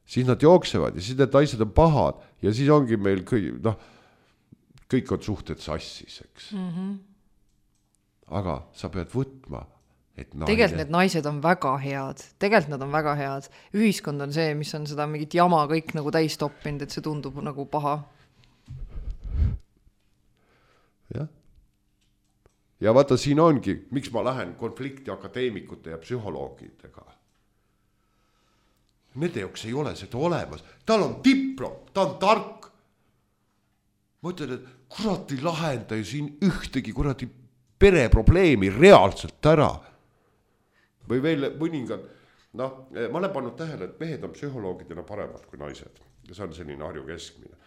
Siis nad jooksevad ja siis need naised on pahad ja siis ongi meil kõik, noh, kõik on suhted sassis, eks. Mm-hmm. Aga sa pead võtma, et naine... Tegelikult need naised on väga head. Tegelikult nad on väga head. Ühiskond on see, mis on seda mingit jama kõik nagu täis toppinud, et see tundub nagu paha. Jah. Ja vaata, siin ongi, miks ma lähen konflikti akadeemikute ja psühholoogidega. Nende jaoks ei ole seda olemas. Tal on diplom, ta on tark. Ma ütlen, et kurat ei lahenda ju siin ühtegi kuradi pereprobleemi reaalselt ära. Või veel mõningad, noh, ma olen pannud tähele, et mehed on psühholoogidena paremad kui naised. Ja see on selline Harju keskmine.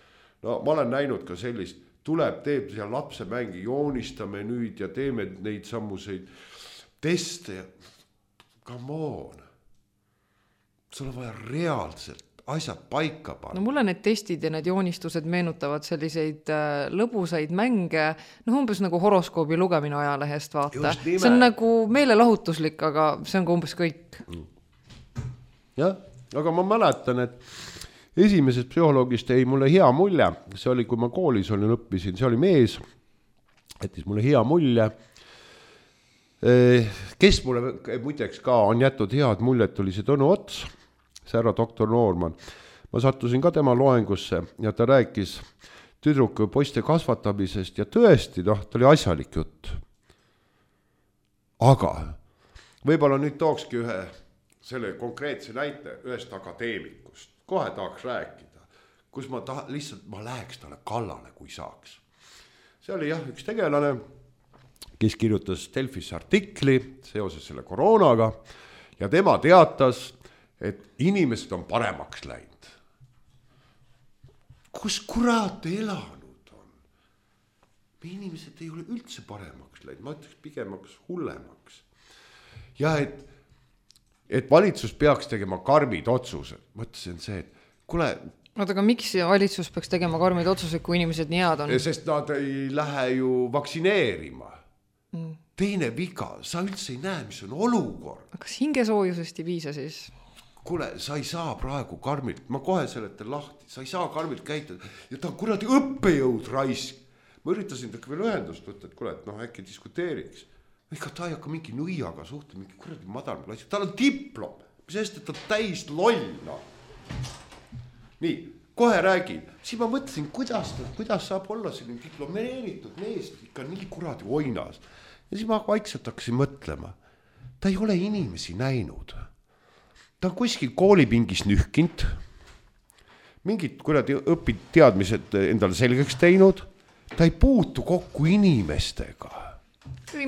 No ma olen näinud ka sellist, tuleb, teeb seal lapse mängi, joonistame nüüd ja teeme neid sammuseid teste. Come on. Sul on vaja reaalselt asjad paika panna. No mulle need testid ja need joonistused meenutavad selliseid äh, lõbusaid mänge, noh umbes nagu horoskoobi lugemine ajalehest vaata. See on nagu meelelahutuslik, aga see on ka umbes kõik. Jah, aga ma mäletan, et esimesest psühholoogist ei mulle hea mulje. See oli, kui ma koolis olin, õppisin, see oli mees, jättis mulle hea mulje. Kes mulle muideks ka on jätnud head muljet, oli see Tõnu Ots, see härra doktor Noorman. Ma sattusin ka tema loengusse ja ta rääkis tüdruku poiste kasvatamisest ja tõesti, noh, ta oli asjalik jutt. Aga võib-olla nüüd tookski ühe selle konkreetse näite ühest akadeemikust. Kohe tahaks rääkida, kus ma taha, lihtsalt ma läheks talle kallale, kui saaks. See oli jah, üks tegelane, kes kirjutas Delfisse artikli seoses selle koroonaga ja tema teatas, et inimesed on paremaks läinud. Kus kurat elanud on? Me inimesed ei ole üldse paremaks läinud, ma ütleks pigemaks hullemaks. Ja et, et valitsus peaks tegema karmid otsused. Mõtlesin see, et kule... Oota, aga miks valitsus peaks tegema karmid otsused, kui inimesed nii head on? Sest nad ei lähe ju vaktsineerima. Mm. Teine viga, sa üldse ei näe, mis on olukord. Kas hingesoojusest ei piisa siis? Kuule, sa ei saa praegu karmilt, ma kohe seletan lahti, sa ei saa karmilt käitada ja ta on kuradi õppejõud raisk. Ma üritasin taga veel ühendust võtta, et kuule, et noh, äkki diskuteeriks. Ega ta ei hakka mingi nõiaga suhte, mingi kuradi madal klassi, tal on diplom, mis eest, et ta täis lollna. Nii, kohe räägin, siis ma mõtlesin, kuidas, ta, kuidas saab olla selline diplomeeritud mees ikka nii kuradi oinas. Ja siis ma vaikselt hakkasin mõtlema, ta ei ole inimesi näinud. Ta on kuskil koolipingis nühkinud, mingid kuradi õpid teadmised endale selgeks teinud, ta ei puutu kokku inimestega.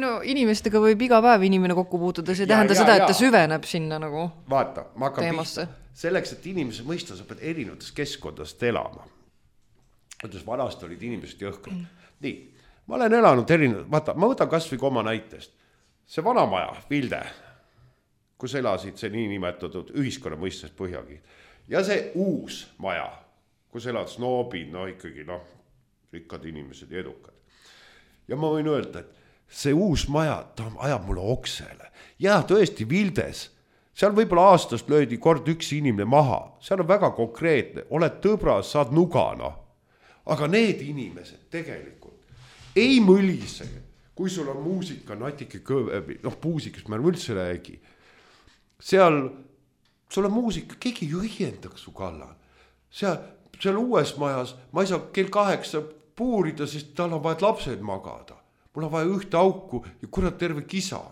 No, inimestega võib iga päev inimene kokku puutuda, see tähenda seda, et ta süveneb sinna nagu vaata, ma hakkan teemasse. Pihta. Selleks, et inimese mõista, sa pead erinevates keskkondadest elama. Ütles, vanasti olid inimesed jõhkrad. Mm. Nii, ma olen elanud erinevad, vaata, ma võtan kas või oma näitest. See vanamaja, Vilde, kus elasid see nii nimetatud ühiskonna mõistes Põhjagi. Ja see uus maja, kus elad snoobid, no ikkagi, noh, rikkad inimesed ja edukad. Ja ma võin öelda, et see uus maja, ta ajab mulle oksele. Ja tõesti, Vildes, seal võib-olla aastast löödi kord üks inimene maha. Seal on väga konkreetne, oled tõbras, saad nugana. Aga need inimesed tegelikult ei mõlise, kui sul on muusika, natike kõve, noh, puusikast ma üldse räägi. Seal, sul on muusika, keegi ju õiendaks su kallal. Seal, seal uues majas, ma ei saa kell kaheksa puurida, sest tal on vaja lapsed magada. Mul on vaja ühte auku ja kurat terve kisa.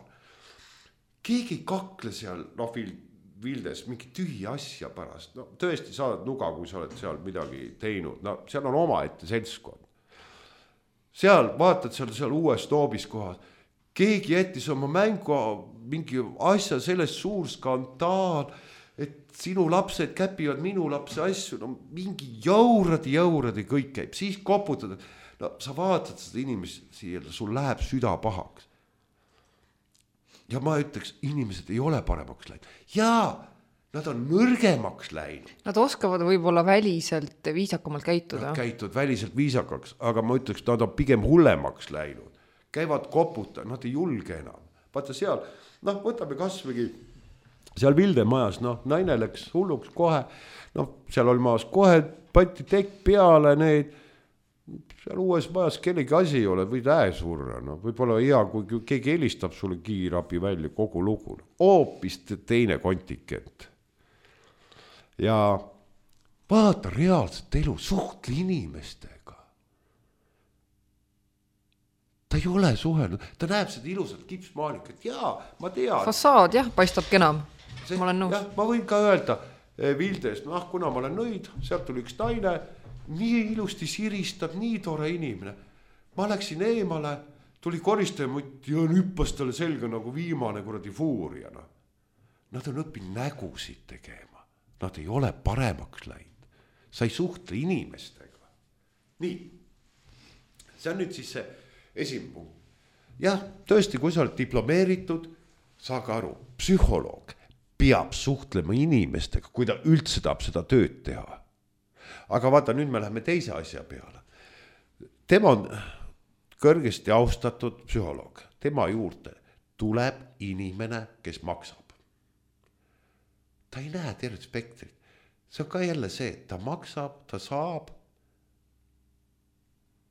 Keegi ei kakle seal, noh, Vildes, mingi tühi asja pärast. No, tõesti saad nuga, kui sa oled seal midagi teinud. No, seal on oma ette seltskond. Seal, vaatad seal, seal uues noobis kohas. Keegi jättis oma mängu mingi asja, sellest suur skandaal, et sinu lapsed käpivad minu lapse asju, no mingi jauradi, jauradi kõik käib, siis koputad, no sa vaatad seda inimest siia, sul läheb süda pahaks. Ja ma ütleks, inimesed ei ole paremaks läinud. Jaa, nad on nõrgemaks läinud. Nad oskavad võib-olla väliselt viisakamalt käituda. Nad käituvad väliselt viisakaks, aga ma ütleks, nad on pigem hullemaks läinud. Käivad koputa, nad ei julge enam. Vaata seal, noh, võtame kasvõi seal Vilde majas, noh, naine läks hulluks kohe, noh, seal oli maas kohe, patti tekk peale neid, seal uues majas kellegi asi ei ole, võid äe surra, no võib-olla hea, kui keegi helistab sulle kiirabi välja kogu lugu. Hoopis teine kontikent. Ja vaata reaalset elu, suhtle inimestega. Ta ei ole suhelnud, ta näeb seda ilusat kipsmaalikat, jaa, ma tean. Fassaad, jah, paistab kenam, See, ma olen nõus. Jah, ma võin ka öelda Vildest, noh, kuna ma olen nõid, sealt tuli üks naine, nii ilusti siristab, nii tore inimene. Ma läksin eemale, tuli koristajamutt ja hüppas talle selga nagu viimane kuradi fuuriana. Nad on õppinud nägusid tegema. Nad ei ole paremaks läinud. Sa ei suhtle inimestega. Nii, see on nüüd siis see esimene punkt. Jah, tõesti, kui sa oled diplomeeritud, saage aru, psühholoog peab suhtlema inimestega, kui ta üldse tahab seda tööd teha. Aga vaata, nüüd me läheme teise asja peale. Tema on kõrgesti austatud psühholoog. Tema juurde tuleb inimene, kes maksab. Ta ei näe tervet spektrit. See on ka jälle see, ta maksab, ta saab.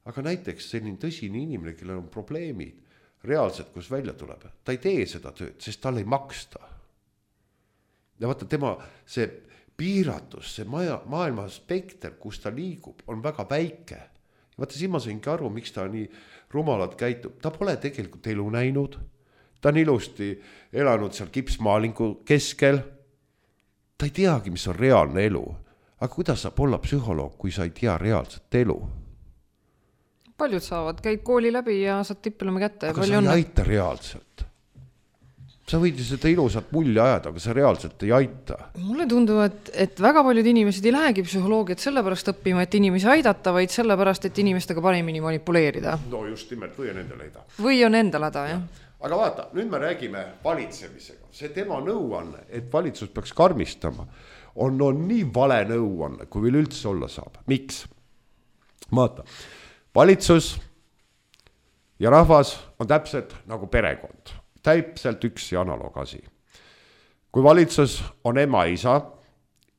Aga näiteks selline tõsine inimene, kellel on probleemid, reaalselt, kus välja tuleb, ta ei tee seda tööd, sest tal ei maksta. Ja vaata, tema see piiratus, see maja, maailma spekter, kus ta liigub, on väga väike. Ja vaata, siin ma saingi aru, miks ta nii rumalalt käitub. Ta pole tegelikult elu näinud. Ta on ilusti elanud seal kipsmaalingu keskel. Ta ei teagi, mis on reaalne elu. Aga kuidas saab olla psühholoog, kui sa ei tea reaalset elu? Paljud saavad, käid kooli läbi ja saad diplomi kätte. Aga sa ei aita reaalselt. Sa võid seda ilusat mulli ajada, aga sa reaalselt ei aita. Mulle tundub, et, et väga paljud inimesed ei lähegi psühholoogiat sellepärast õppima, et inimesi aidata, vaid sellepärast, et inimestega paremini manipuleerida. No just nimelt, või on endal häda. Või on endal häda, jah. Aga vaata, nüüd me räägime valitsemisega. See tema nõuanne, et valitsus peaks karmistama, on, on nii vale nõuanne, kui veel üldse olla saab. Miks? Vaata, valitsus ja rahvas on täpselt nagu perekond. Täpselt üks ja analoogasi. Kui valitsus on ema isa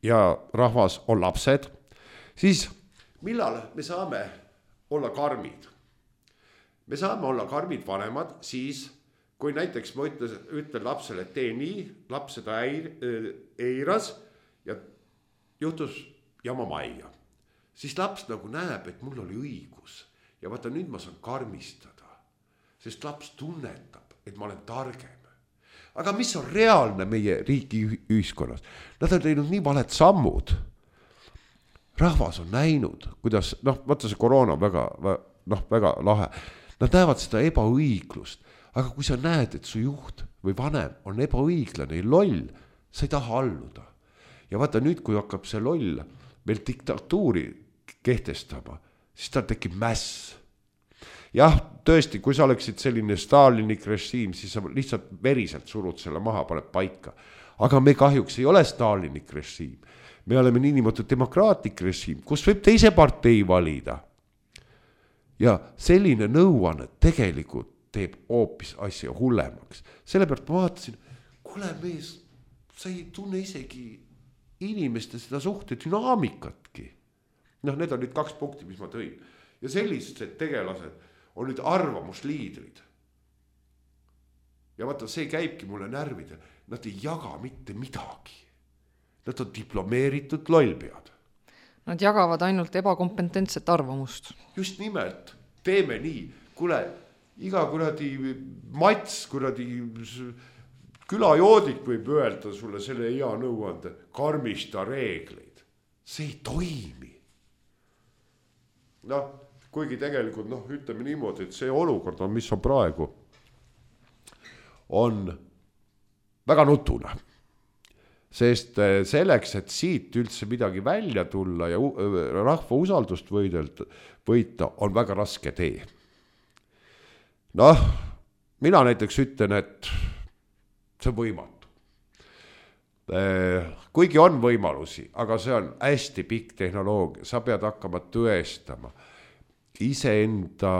ja rahvas on lapsed, siis millal me saame olla karmid? Me saame olla karmid vanemad siis, kui näiteks ma ütlen, ütlen lapsele, et tee nii, laps seda eiras ja juhtus jama majja. Siis laps nagu näeb, et mul oli õigus ja vaata nüüd ma saan karmistada, sest laps tunnetab, et ma olen targem. Aga mis on reaalne meie riigi ühiskonnas? Nad on teinud nii valed sammud. Rahvas on näinud, kuidas, noh, vaata see koroona on väga, noh, väga lahe. Nad näevad seda ebaõiglust. Aga kui sa näed, et su juht või vanem on ebaõiglane ja loll, sa ei taha alluda. Ja vaata nüüd, kui hakkab see loll meil diktatuuri kehtestama, siis tal tekib mäss. Jah, tõesti, kui sa oleksid selline Stalinik režiim, siis sa lihtsalt veriselt surud selle maha, paned paika. Aga me kahjuks ei ole Stalinik režiim. Me oleme niinimetatud demokraatlik režiim, kus võib teise partei valida. Ja selline nõuanne tegelikult teeb hoopis asja hullemaks. Sellepärast ma vaatasin, kuule mees, sa ei tunne isegi inimeste seda suhte dünaamikatki. Noh, need on nüüd kaks punkti, mis ma tõin. Ja sellised tegelased on nüüd arvamusliidrid. Ja vaata, see käibki mulle närvida. Nad ei jaga mitte midagi. Nad on diplomeeritud lollpead. Nad jagavad ainult ebakompetentset arvamust. Just nimelt, teeme nii. Kuule, iga kuradi mats, kuradi külajoodik võib öelda sulle selle hea nõuande, karmista reegleid. See ei toimi. Noh, kuigi tegelikult, noh, ütleme niimoodi, et see olukord on, mis on praegu, on väga nutune. Sest selleks, et siit üldse midagi välja tulla ja rahva usaldust võita, on väga raske tee. Noh, mina näiteks ütlen, et see on võimatu. kuigi on võimalusi, aga see on hästi pikk tehnoloogia, sa pead hakkama tõestama iseenda,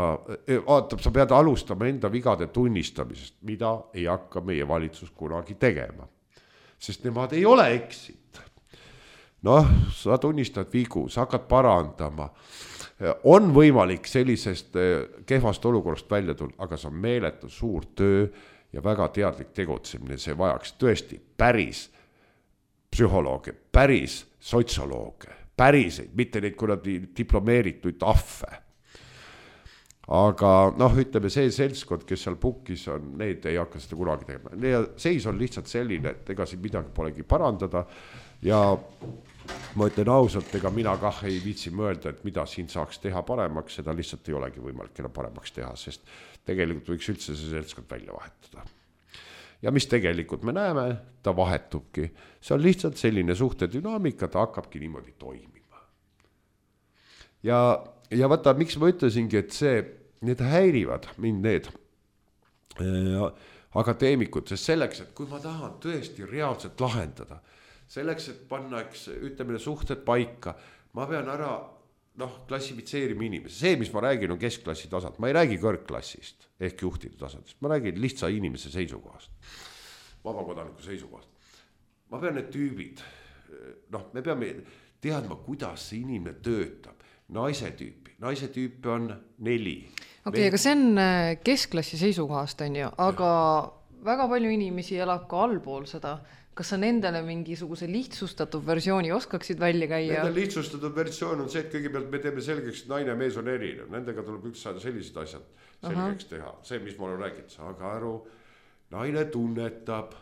vaatab, sa pead alustama enda vigade tunnistamisest, mida ei hakka meie valitsus kunagi tegema. Sest nemad ei ole eksid. Noh, sa tunnistad vigu, sa hakkad parandama. On võimalik sellisest kehvast olukorrast välja tulla, aga see on meeletu suur töö ja väga teadlik tegutsemine. See vajaks tõesti päris psühholooge, päris sotsiolooge, päriseid, mitte neid kunagi diplomeerituid ahve. Aga noh, ütleme see seltskond, kes seal pukis on, need ei hakka seda kunagi tegema. Ja seis on lihtsalt selline, et ega siin midagi polegi parandada ja ma ütlen ausalt, ega mina kah ei viitsi mõelda, et mida siin saaks teha paremaks, seda lihtsalt ei olegi võimalik enam paremaks teha, sest tegelikult võiks üldse see seltskond välja vahetada. Ja mis tegelikult me näeme, ta vahetubki. See on lihtsalt selline suhtedünaamika, ta hakkabki niimoodi toimima. Ja, ja vaata, miks ma ütlesingi, et see, need häirivad mind need ja, akadeemikud, sest selleks, et kui ma tahan tõesti reaalselt lahendada, selleks, et panna, eks, ütleme, suhted paika, ma pean ära noh, klassifitseerima inimesi. See, mis ma räägin, on keskklassi tasand. Ma ei räägi kõrgklassist ehk juhtide tasandist. Ma räägin lihtsa inimese seisukohast, vabakodaniku seisukohast. Ma pean need tüübid, noh, me peame teadma, kuidas see inimene töötab. Naise tüüpi, naise tüüpi on neli. Okei, okay, aga see on keskklassi seisukohast, on ju, aga väga palju inimesi elab ka allpool seda. Kas sa nendele mingisuguse lihtsustatud versiooni oskaksid välja käia? Nende lihtsustatud versioon on see, et kõigepealt me teeme selgeks, et naine ja mees on erinev. Nendega tuleb üks saada sellised asjad selgeks Aha. teha. See, mis ma olen rääginud, saage aru, naine tunnetab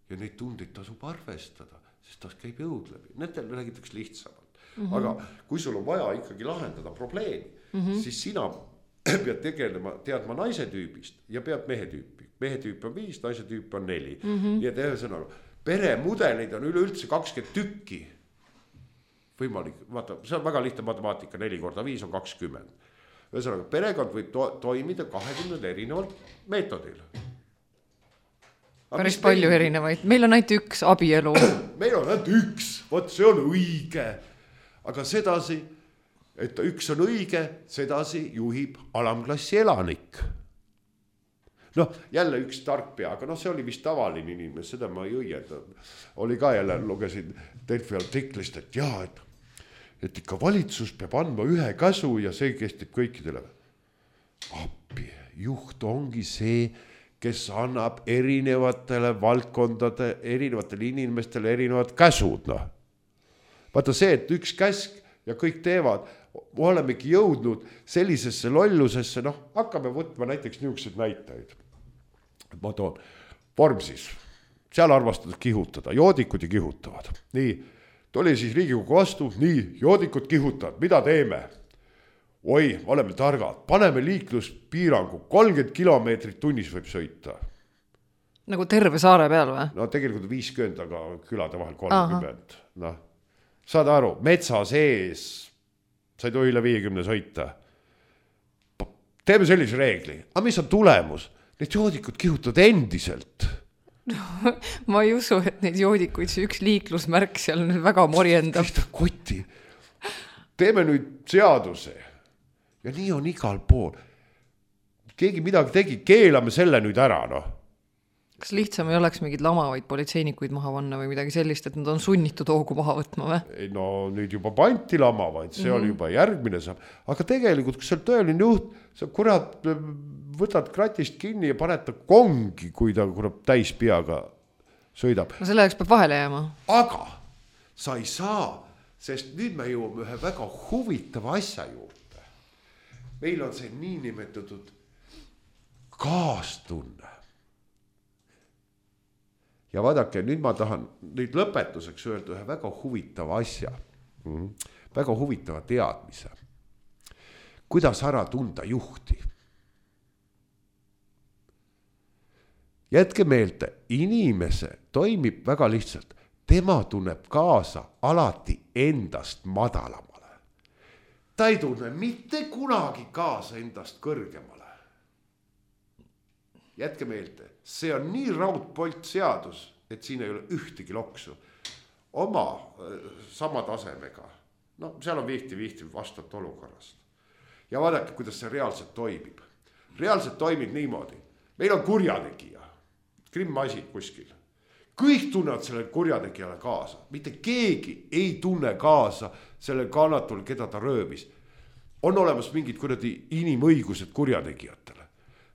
ja neid tundeid tasub arvestada, sest ta käib jõud läbi. Nendel räägitakse lihtsamalt. Mm-hmm. Aga kui sul on vaja ikkagi lahendada probleemi, mm-hmm. siis sina pead tegelema, teadma naise tüübist ja pead mehe tüüpi. Mehe tüüp on viis, naise tüüp on neli. Mm-hmm. Nii et ühesõnaga, peremudeleid on üleüldse kakskümmend tükki. Võimalik, vaata, see on väga lihtne matemaatika, neli korda viis on kakskümmend. Ühesõnaga, perekond võib to- toimida kahekümne erineval meetodil. Päris palju meil... erinevaid. Meil on ainult üks abielu. Meil on ainult üks, võt see on õige. Aga sedasi, et üks on õige, sedasi juhib alamklassi elanik. Noh, jälle üks tark pea, aga noh, see oli vist tavaline inimene, seda ma ei õienda. Oli ka jälle, lugesin Delfi artiklist, et jaa, et, et ikka valitsus peab andma ühe käsu ja see kestib kõikidele. Appi, juht ongi see, kes annab erinevatele valdkondade, erinevatele inimestele erinevad käsud. No. Vaata see, et üks käsk ja kõik teevad, me olemegi jõudnud sellisesse lollusesse, noh, hakkame võtma näiteks niisuguseid näitajaid. Ma toon Vormsis, seal armastatud kihutada, joodikud ja kihutavad. Nii, tuli siis Riigikogu vastu, nii, joodikud kihutavad, mida teeme? Oi, oleme targad, paneme liikluspiirangu, kolmkümmend kilomeetrit tunnis võib sõita. Nagu terve saare peal või? No tegelikult viiskümmend, aga külade vahel kolmkümmend. No, saad aru, metsa sees sa ei tohi üle viiekümne sõita. Teeme sellise reegli. Aga mis on tulemus? Need joodikud kihutavad endiselt. No, ma ei usu, et neid joodikuid see üks liiklusmärk seal nüüd väga morjendab. Kotti. Teeme nüüd seaduse. Ja nii on igal pool. Keegi midagi tegi, keelame selle nüüd ära, noh. Kas lihtsam ei oleks mingid lamavaid politseinikuid maha vanna või midagi sellist, et nad on sunnitud hoogu maha võtma või? No nüüd juba panti lamavaid, see mm-hmm. oli juba järgmine saab. Aga tegelikult, kui see on tõeline juht, sa kurat võtad kratist kinni ja paned ta kongi, kui ta kurat täis peaga sõidab. No selle jaoks peab vahele jääma. Aga sa ei saa, sest nüüd me jõuame ühe väga huvitava asja juurde. Meil on see nii nimetatud kaastunne. Ja vaadake, nüüd ma tahan nüüd lõpetuseks öelda ühe väga huvitava asja, mm-hmm. väga huvitava teadmise. Kuidas ära tunda juhti? Jätke meelde, inimese toimib väga lihtsalt. Tema tunneb kaasa alati endast madalamale. Ta ei tunne mitte kunagi kaasa endast kõrgemale. Jätke meelde, see on nii raudpolt seadus, et siin ei ole ühtegi loksu. Oma sama tasemega, no seal on vihti-vihti vastavalt olukorrast. Ja vaadake, kuidas see reaalselt toimib. Reaalselt toimib niimoodi. Meil on kurjategija, krimmasid kuskil. Kõik tunnevad selle kurjategijale kaasa. Mitte keegi ei tunne kaasa selle kannatul, keda ta röövis. On olemas mingid kuradi inimõigused kurjategijatele.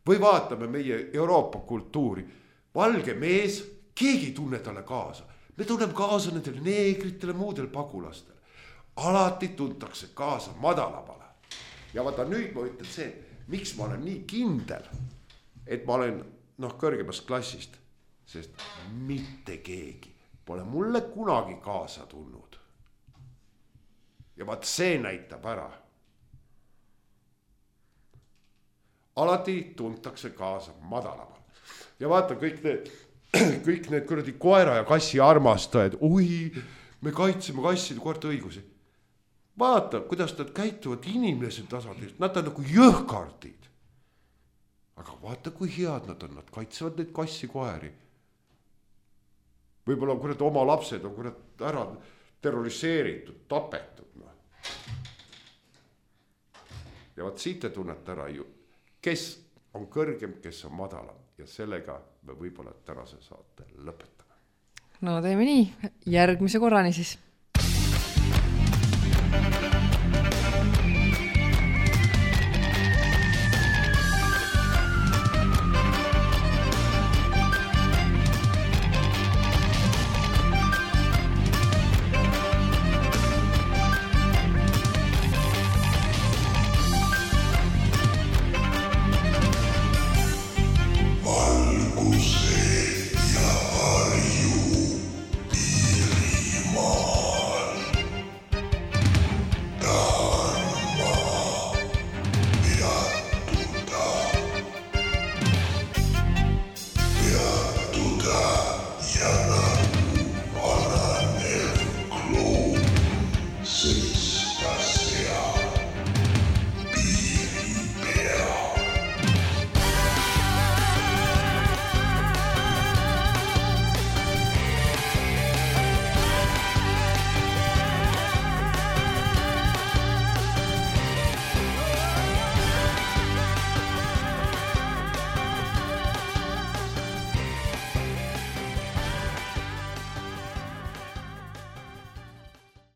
Või vaatame meie Euroopa kultuuri. Valge mees, keegi ei tunne talle kaasa. Me tunneme kaasa nendele neegritele, muudele pagulastele. Alati tuntakse kaasa madalamale. Ja vaata nüüd ma ütlen see, miks ma olen nii kindel, et ma olen noh, kõrgemast klassist, sest mitte keegi pole mulle kunagi kaasa tulnud. Ja vaat see näitab ära. Alati tuntakse kaasa madalamal. Ja vaata kõik need, kõik need kuradi koera ja kassi armastajad, ui, me kaitseme kasside koerte õigusi. Vaata, kuidas nad käituvad inimese tasandil, nad on nagu jõhkardid. Aga vaata, kui head nad on, nad kaitsevad neid kassi koeri. Võib-olla kurat oma lapsed on kurat ära terroriseeritud, tapetud. No. Ja vaat siit te tunnete ära ju, kes on kõrgem, kes on madalam. Ja sellega me võib-olla tänase saate lõpetame. No teeme nii, järgmise korrani siis. Thank you.